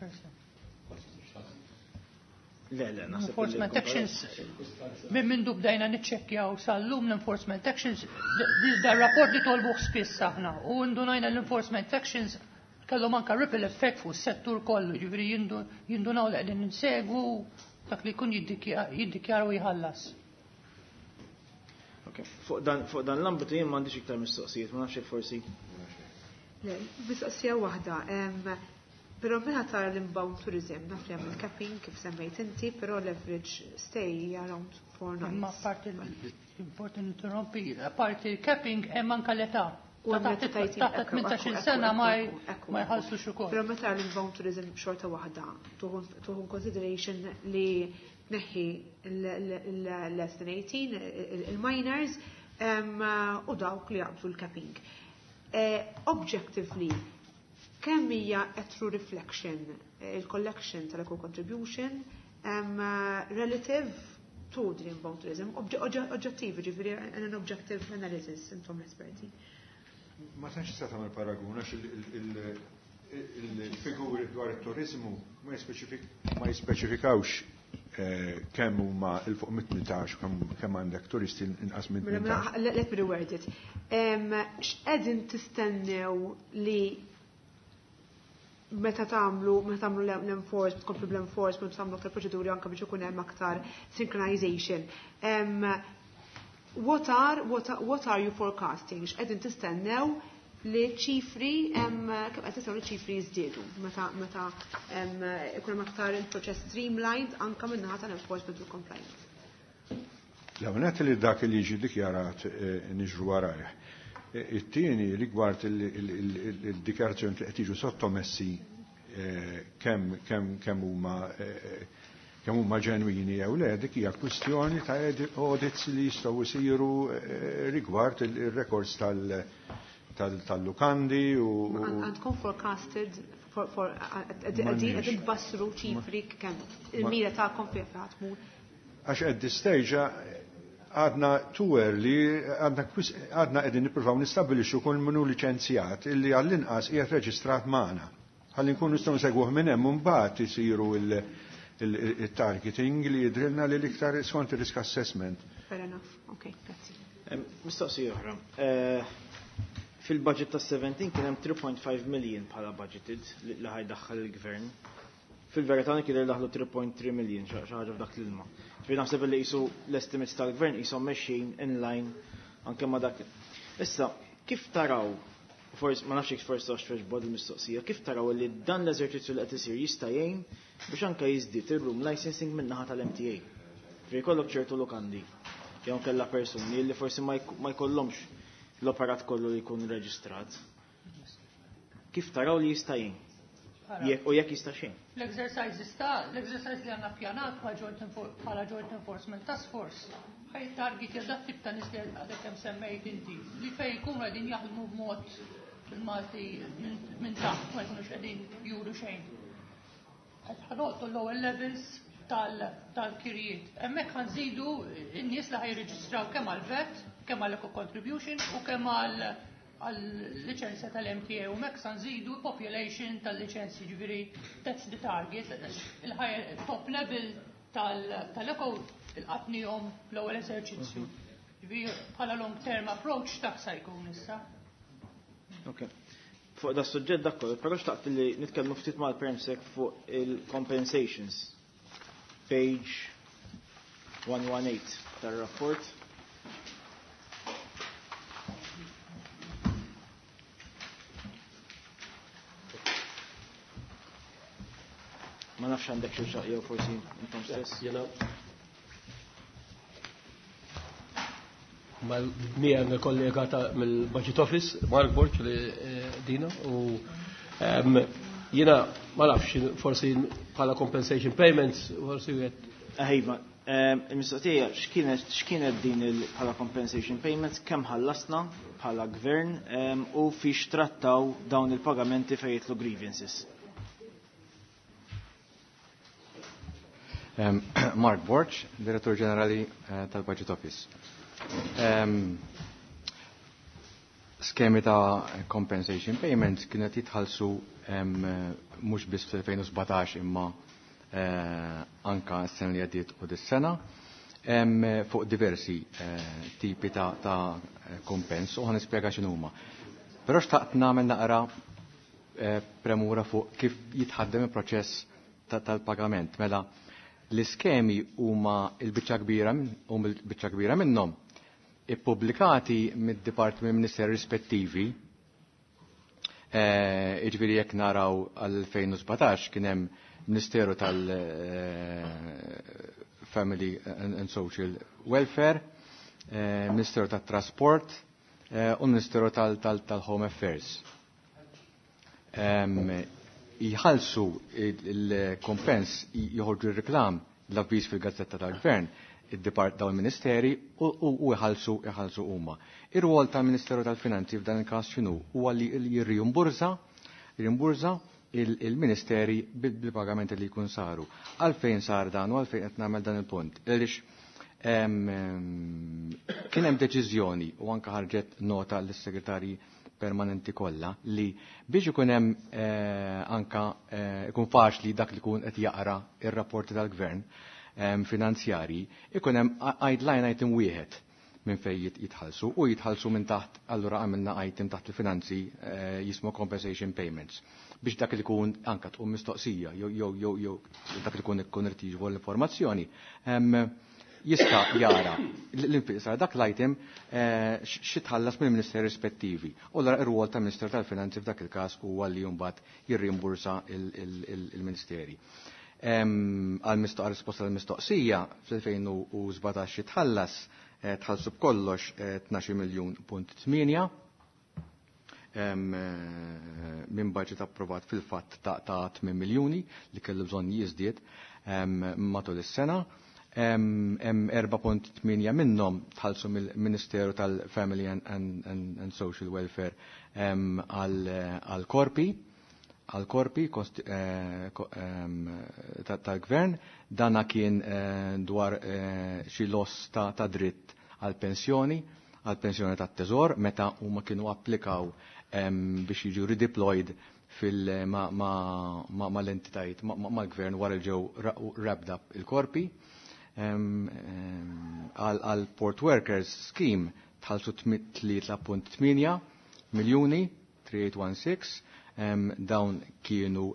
5%. Le, naħseb. Enforcement actions, minn mindu bdejna niċċekkjaw sal-lum l-enforcement actions, da rapport li tolbuh spiss aħna, u ndunajna l-enforcement actions kellhom anka ripple effect fuq is-settur kollu, ġifieri jindunaw li qegħdin insegwu dak li jkun jiddikjara u jħallas. Ok, fuq dan l-ambitu jien m'għandix iktar mistoqsijiet, ma nafx jekk forsi. Le, mistoqsija waħda. Però meta tara l-inbound tourism, naf li hemm il-capping kif semmejt inti, però l-average stay hija around 4 Imma nights. parti important interrompi, parti il-capping hemm anka l-età. U Ta' hemm taħt l-età tajtin, taħt 18 sena ma jħallsux ukoll. Però meta l-inbound tourism xorta waħda, tieħu consideration li tneħħi l-less than 18, il-minors, u dawk li jaqbżu l-capping. Objectively, kemm hija a true reflection il-collection tal-eco contribution relative to the inbound tourism, oġġettiv, ġifieri an objective analysis, intom l-esperti. Ma tantx tista' tagħmel paragun għax il-figuri dwar it-turizmu ma jispeċifikawx kemm huma 'l fuq mit 18 kemm għandek turisti inqas minn 18. Let me reword it. X'qegħdin tistennew li meta tagħmlu l-enforcement, tkomplu bl-enforcement, tagħmlu aktar proċeduri anke biex ikun hemm aktar synchronization. What are you forecasting? X'qegħdin tistennew li ċifri, kemm qed tistennew li ċifri jiżdiedu meta ikun hemm aktar il-proċess streamlined anke min-naħa tal-enforcement u compliance? L-għonet li dak li jiġi dikjarat niġru warajh. It-tieni rigward il-dikjarazzjoni li qed jiġu sottomessi, kemm huma ġenwini jew le, dik hija kwistjoni ta' audits li jistgħu jsiru rigward il-records tal-lukandi u Għandkom forecasted for qegħdin tbassru ċifri kemm il-mira tagħkom fejn tmur? Għax at this stage għadna too early, għadna qegħdin nippruvaw nistabbilixxu kull min hu liċenzjat illi għall-inqas qiegħed reġistrat magħna. Ħalli nkunu nistgħu nsegwuh minn hemm, mbagħad isiru il-targeting li jidrilna li l-iktar skont il-risk assessment. Fair enough. Okay, grazzi. Mistoqsija oħra. Fil-budget ta' 17 kien hemm 3.5 million bħala budgeted li ħa jdaħħal il-gvern. Fil-verità kien daħlu 3.3 million, xi ħaġa f'dak l-ilma. Ġifieri naħseb li qisu l-estimates tal-gvern qishom mexjin in line anke ma' dak. Issa, kif taraw, forsi ma nafx jekk forsi għax tweġbu il-mistoqsija, kif taraw li dan l-eżerċizzju li qed isir jista' jgħin biex anke jiżdied ir-room licensing min-naħa tal-MTA? Ġifieri jkollok ċertu lukandi jew kellha persuni li forsi ma jkollhomx l-operat kollu li jkun reġistrat. Kif taraw li jista' jgħin? U jekk jista' xejn. L-exercise li għandna ppjanat bħala Joint Enforcement Task Force ħa jittarget dak tip ta' nies li għadek kemm semmejt inti, li fej jkunu qegħdin jaħdmu b'mod bil-Malti minn taħt, ma jkunux qegħdin juru xejn. Qed ħa nolqtu l-lower levels tal-kirjiet. Hemmhekk ħa nżidu n-nies li ħa jirreġistraw kemm għal-VAT, kemm għal-eco contribution u kemm għal-liċenzja tal-MTA, u hekk sa nżidu population tal-liċenzji, ġifieri that's the target. Il-higher top level tal-eco laqatnihom l-ewwel eżerċizzju. Ġifieri bħala long term approach dak sa jkun issa. Ok. Fuq da suġġett dak kollu, però xtaqt li nitkellmu ftit mal-Permsec fuq il-compensations. Page 118 tar-rapport. Ma nafx għandek xi jew forsi intom stess. Jena mal-miegħi kollega ta' mill-Budget Office, Mark Borg li dina, u jiena ma nafx, forsi bħala compensation payments, forsi wieħed Iva, il-mistoqsija x'kienet din bħala compensation payments, kemm ħallasna bħala gvern u fiex trattaw dawn il-pagamenti fejn jidħlu grievances? Mark Borg, Direttur Ġenerali tal-Budget Office. Skemi ta' compensation payments kienet jitħallsu mhux biss fl-2017 imma anka s-sena li għaddiet u dis-sena fuq diversi tipi ta' kompens u ħa nispjega x'inhuma. Però xtaqt nagħmel naqra premura fuq kif jitħaddem il-proċess tal-pagament. Mela, l-iskemi huma il-biċċa kbira u l-biċċa kbira minnhom ippubblikati mid-Department Minister rispettivi. Jiġifieri jekk naraw għal-2017 kien hemm Ministeru tal-Family and Social Welfare, Ministeru tat-Trasport u Ministeru tal-Home Affairs. Jħallsu il-kompens, joħorġu il-reklam. l-avviż fil-Gazzetta tal-Gvern id-depart dawn il-ministeri u jħallsu jħallsu huma. Ir-rwol tal-Ministeru tal-Finanzi f'dan il-każ x'inhu? Huwa li jirrimburża jirrimburża il-ministeri bil-pagamenti li jkun saru. Għalfejn sar dan u għalfejn qed nagħmel dan il-punt? Għaliex kien hemm deċiżjoni u anke ħarġet nota lis-segretarji permanenti kollha li biex ikun hemm anka ikun faċli dak li jkun qed jaqra ir-rapporti tal-gvern finanzjarji, ikun hemm line item wieħed minn fejn jitħallsu u jitħallsu minn taħt, allura għamilna item taħt il-finanzi jismu compensation payments biex dak li jkun anka tqum mistoqsija jew jew jew jew dak li jkun ikun irid jiġbor l-informazzjoni jista' jara l-infiq sar dak l-item xi tħallas mill-ministeri rispettivi. U allura ir-rwol tal-Ministeru tal-Finanzi f'dak il-każ huwa li mbagħad jirrimbursa il-ministeri. Għal risposta għall-mistoqsija fl-2017 jitħallas tħallsu b'kollox 12 miljun punt 8 minn budget approvat fil-fatt ta' 8 miljuni li kellu bżonn jiżdied matul is-sena. Hemm 4.8 minnhom tħallsu mill-Ministeru tal-Family and Social Welfare għal-korpi għal-korpi tal-gvern. Dana kien dwar xi loss ta' dritt għal-pensjoni, għal-pensjoni tat-teżor meta huma kienu applikaw biex jiġu redeployed fil ma l-entitajiet mal-gvern wara li ġew wrapped up il-korpi. Għal Port Workers Scheme tħallsu 3.8 miljuni, 3816, dawn kienu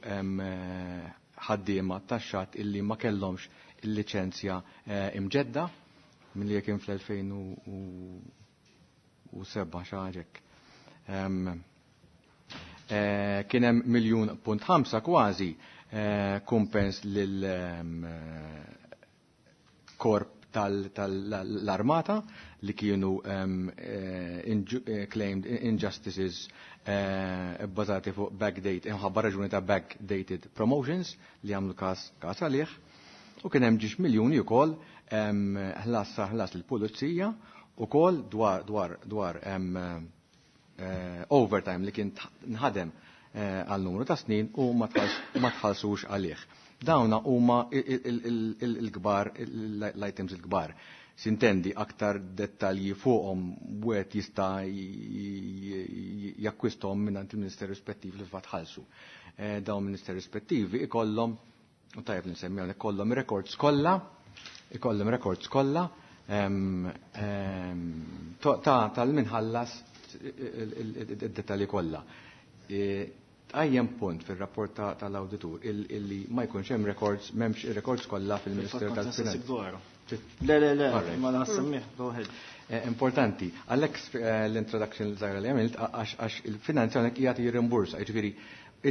ħaddiema taxxat illi ma kellhomx il-liċenzja imġedda milli kien fl-2007 xi ħaġa hekk. Kien hemm miljun punt ħamsa kważi kumpens lil korp tal-armata li kienu claimed injustices bbażati fuq backdate, imħabba raġuni ta' backdated promotions li għamlu każ għalih. U kien hemm ġiex miljuni wkoll ħlas ħlas lill-pulizija ukoll dwar overtime li kien nħadem għal numru ta' snin u ma tħallsux għalih. Dawna huma il-kbar, l-items il-kbar. Sintendi aktar dettalji fuqhom wieħed jista' jakkwisthom minn il-Ministeri rispettivi li fatt ħallsu. Dawn ministeri rispettivi ikollhom, u tajjeb li nsemmi hawnhekk, ikollhom records kollha, ikollhom records kollha tal-minħallas id-dettalji kollha. Tqajjem punt fil-rapport tal-awditur illi ma jkunx hemm records, m'hemmx ir-records kollha fil-Ministeru tal-Finanzi. Le, le, le, ma naħsemmih, go ahead. Importanti, għalhekk l-introduction żgħira li għamilt għax il-finanzi hawnhekk qiegħed jirrimbursa, jiġifieri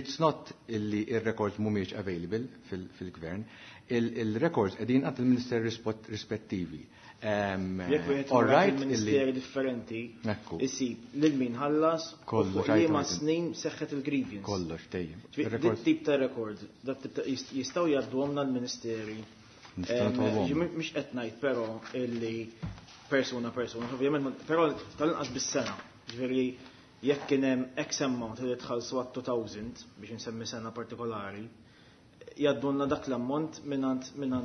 it's not illi ir-records mhumiex available fil-gvern, il-records qegħdin għand il-ministeri rispettivi. Jekk wieħed il-ministeri differenti, isib lil min ħallas Kollox, u liema snin seħħet il-grievance. Kollox, dejjem. Ġifieri, dit tip ta' record, dat tip ta' jistgħu jgħadduhomna l-ministeri. Nistgħu nitolbuhom. Mhux qed ngħid però illi persuna persuna, ovvjament, però tal-inqas bis-sena. Ġifieri jekk kien hemm X amount li tħallsu għat 2000 biex insemmi sena partikolari, jgħaddulna dak l-ammont minn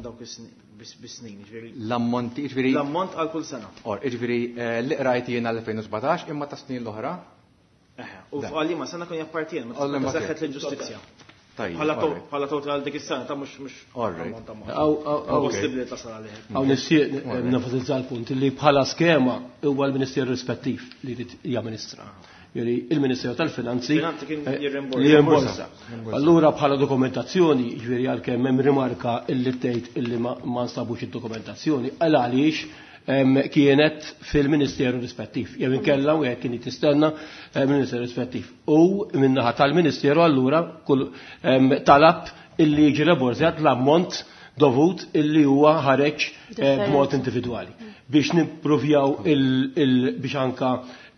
dawk bis-snin, ġifieri. L-ammonti, ġifieri. L-ammont għal kull sena. Or, ġifieri li qrajt jiena l-2017 imma ta' snin l-oħra. Eħe, u għal liema sena kun jappartien, ma Għal liema seħħet kien. l-inġustizzja. Tajjeb, Bħala alright. total dik is-sena ta' mhux Alright. ammont ta' mod. Aw, aw, aw. Possibbli tasal għalih. Hawn nixtieq Alright. nenfasizza l-punt li bħala skema huwa l-Ministeru rispettiv li jrid jamministra. Jiġifieri il-Ministeru tal-Finanzi Finanzi kien jirrimborsa. li jirrimborsa. Jirrimborsa. Allura bħala dokumentazzjoni, jiġifieri għalkemm hemm rimarka illi tgħid illi ma nstabux id-dokumentazzjoni, għal għaliex kienet fil-Ministeru rispettiv. Jew inkella wieħed kien jistenna mill-Ministeru rispettiv. U min-naħa tal-Ministeru allura kull talab illi jiġi rimborsat l-ammont dovut illi huwa ħareġ b'mod individwali. Biex nipprovjaw biex anka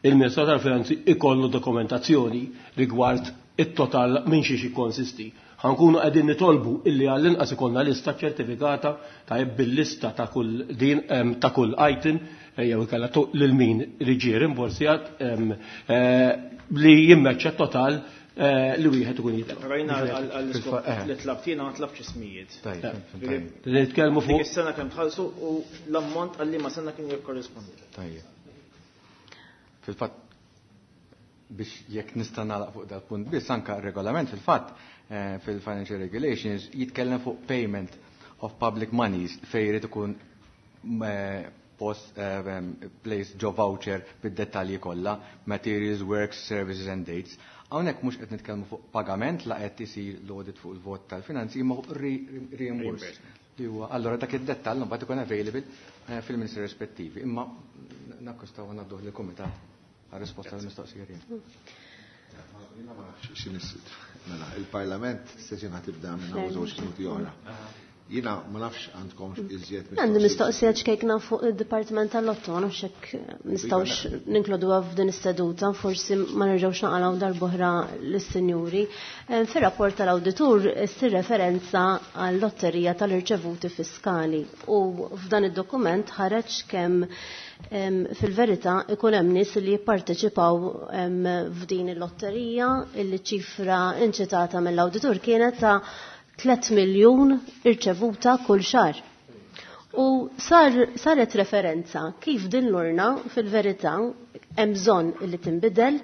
il-Ministeru tal-Finanzi ikollu dokumentazzjoni rigward it-total minn xiex ikkonsisti. Ħa nkunu qegħdin nitolbu illi għall-inqas ikollna lista ċertifikata ta' bil-lista ta' kull din ta' kull item jew ikella lil min li ġie rimborsjat li jimmeċċa total li wieħed ikun jitlob. Però jiena għall-iskop li tlabt jiena ma tlabtx ismijiet. Tajjeb. Nitkellmu fuq. Dik is-sena kemm tħallsu u l-ammont għal liema sena kien jikkorrispondi. Tajjeb. Fil-fatt biex jekk nista' nagħlaq fuq dal-punt biss anka r-regolament fil-fatt fil-Financial Regulations jitkellem fuq payment of public monies fejn jrid ikun post place ġo voucher bid-dettalji kollha, materials, works, services and dates. Hawnhekk mhux qed nitkellmu fuq pagament la qed isir l-audit fuq il-vot tal-finanzi imma fuq reimburse. Li huwa allura dak id-dettall mbagħad ikun available fil-ministri rispettivi. Imma nakkostaw ngħadduh lill-kumitat għar-risposta għall-mistoqsija tiegħi. Mela, il-Parlament session ħa tibda minn hawn żewġ minuti oħra. Jiena ma nafx għandkom iżjed Għandi mistoqsija ċkejkna fuq id-Dipartiment tal-Lotto, ma nafx hekk nistgħux ninkluduha f'din is-seduta, forsi ma nerġgħux naqalgħu darb'oħra lis-sinjuri. Fir-rapport tal-awditur issir referenza għall-lotterija tal-irċevuti fiskali u f'dan id-dokument ħareġ kemm fil-verità ikun hemm nies li jipparteċipaw f'din il-lotterija illi ċifra inċitata mill-awditur kienet ta' 3 miljun irċevuta kull xahar. U sar, saret referenza kif din l-urna fil-verità hemm bżonn li tinbidel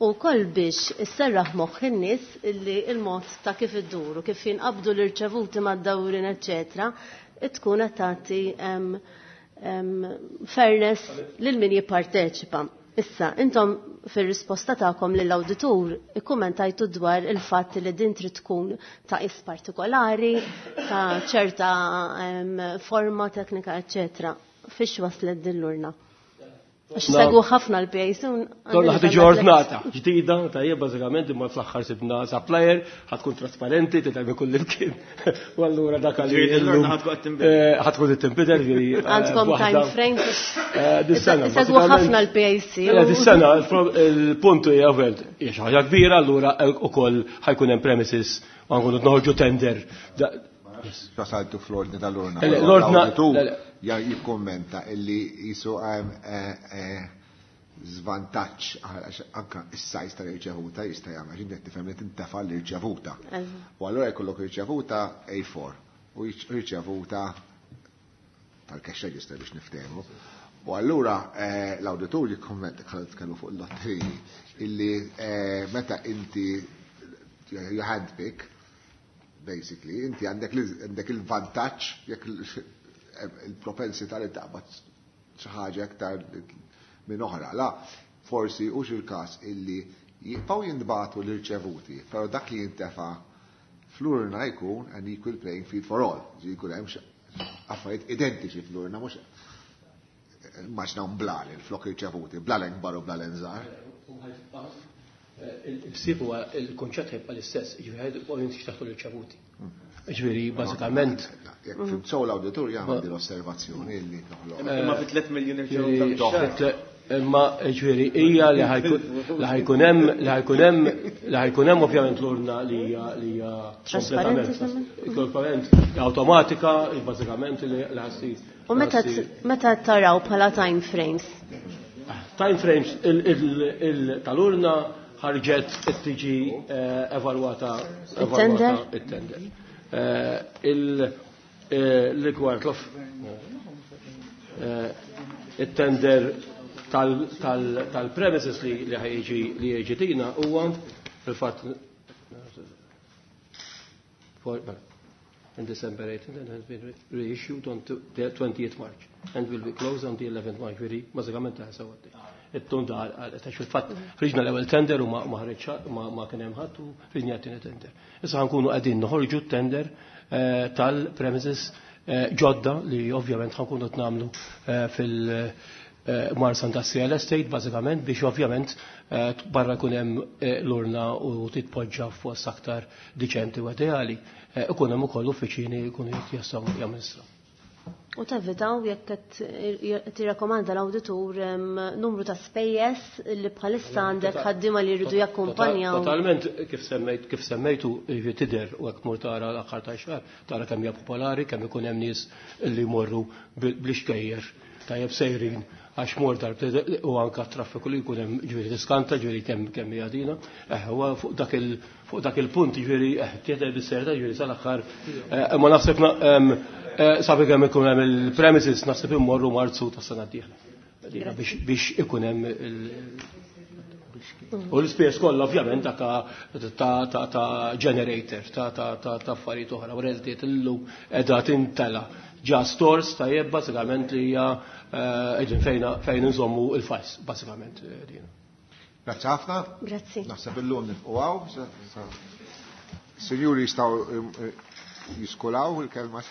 u koll biex isserraħ moħħ in-nies illi il-mod ta' kif idduru, kif jinqabdu l-irċevuti mad-dawrin, eċetera, tkun qed tagħti fairness lil min jipparteċipa. Issa, intom fir-risposta tagħkom lill-awditur ikkummentajtu dwar il-fatt li din trid tkun ta' is partikolari, ta' ċerta forma teknika, eċetera. Fiex waslet din l-urna? Għax segwu ħafna l-PAC. Donna ħad tiġi ordnata, ġdida, tajjeb, bażikament imma fl-aħħar sibna supplier, ħad tkun trasparenti, titgħid kull imkien. U allura dak li Ġifieri l-urna ħad tkun qed tinbidel. Ħad tkun qed tinbidel, ġifieri, Għandkom waħda. time frame? Dis-sena, Segwu bażikament. ħafna l-PAC. Dis-sena, il-punt hija ovvjament, hija xi ħaġa kbira, allura ukoll ħajkun hemm premises u nkunu noħorġu tender. Wasaltu fl-ordni tal-urna. L-ordna- L-awditur le, le. jikkommenta illi jisu żvantaġġ għax anka is-sajz tal-irċevuta jista' jagħmel għax inti tifhem li tintefa' l-irċevuta. U allura jkollok irċevuta A4 u irċevuta tal-cash register biex niftehmu. U allura l-awditur jikkommenta bħala tkellmu fuq il-lotteriji illi meta inti you handpick basically inti għandek il-vantaġġ jekk il-propensità li taqbad xi ħaġa aktar minn oħra. La, forsi hux il-każ illi jibqgħu jintbagħtu l-irċevuti, però dak li jintefa' fl-urna jkun an equal playing field for all. Ġifieri jkun hemm affarijiet identiċi fl-urna, mhux immaġnaw blalen flok irċevuti, blalen kbar u blalen żgħar. Il-ħsieb huwa il-konċett ħajbqa' l-istess, jiġifieri ħajbqgħu jinxtaħtu l-irċevuti. Ġifieri, bażikament. Jekk fim sew l-awditur jagħmel din l-osservazzjoni li toħloq. Imma fi 3 miljun irċevuta fix-xahar. Imma ġifieri hija li ħajkun hemm, li ħajkun hemm, li ħajkun hemm ovvjament l-urna li hija, li hija Trasparenti, kompletament semmen? kompletament awtomatika, bażikament li ħassir. U meta taraw bħala time frames? Time frames tal-urna ħarġet tiġi evalwata, Il-tender? evalwata it-tender. Il-rigward il-tender tal-premises li ħajġi li ħajġi tina huwa fil-fatt for, well, in December 18 and has been reissued on the 20th March and will be closed on the 11th March. Veri, bażikament ta' sewa għaddej. It-tun da għal, ta' fil-fatt ħriġna l-ewwel tender u ma ħriġ ma kien hemm ħadd u ħriġna t-tieni tender. Issa ħankunu qegħdin noħorġu t-tender tal-premises ġodda li ovvjament ħankunu qed nagħmlu fil- Marsa Industrial Estate bażikament biex ovvjament barra jkun hemm l-urna u titpoġġa f'post aktar diċenti u ideali. Ikun hemm ukoll uffiċini jkunu jistgħu jamministraw. U tevitaw jekk qed tirrakkomanda l-awditur numru ta' spejjeż li bħalissa għandek ħaddiema li jridu jakkumpanjaw. Totalment kif semmejt kif semmejtu tidher u hekk mur tara l-aħħar ta' xahar tara kemm hija popolari, kemm ikun hemm nies li jmorru bl-ixkejjer tajjeb sejrin għax mor darb u anka traffiku li jkun hemm ġifieri tiskanta ġifieri kemm kemm hija dina. Eh, huwa fuq dak il fuq dak il-punt ġifieri eh tieħed bis-serta ġifieri sal-aħħar eh, ma naħseb eh, sabi kemm ikun hemm il-premises naħseb immorru Marzu tas-sena d-dieħla. Biex ikun hemm il- U l-ispejjeż kollha ovvjament ta' ta' generator, ta' affarijiet oħra, u realtiet illum qiegħda tintela' ġa stores tajjeb bażikament li hija qegħdin fejn fejn inżommu il-files bażikament din. Grazzi ħafna. Grazzi. Naħseb illum nifqu hawn. Sinjuri jistgħu jiskulaw il-kelma.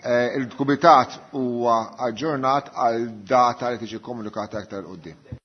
Il-Kumitat huwa aġġornat għal data li tiġi komunikata aktar 'il quddiem.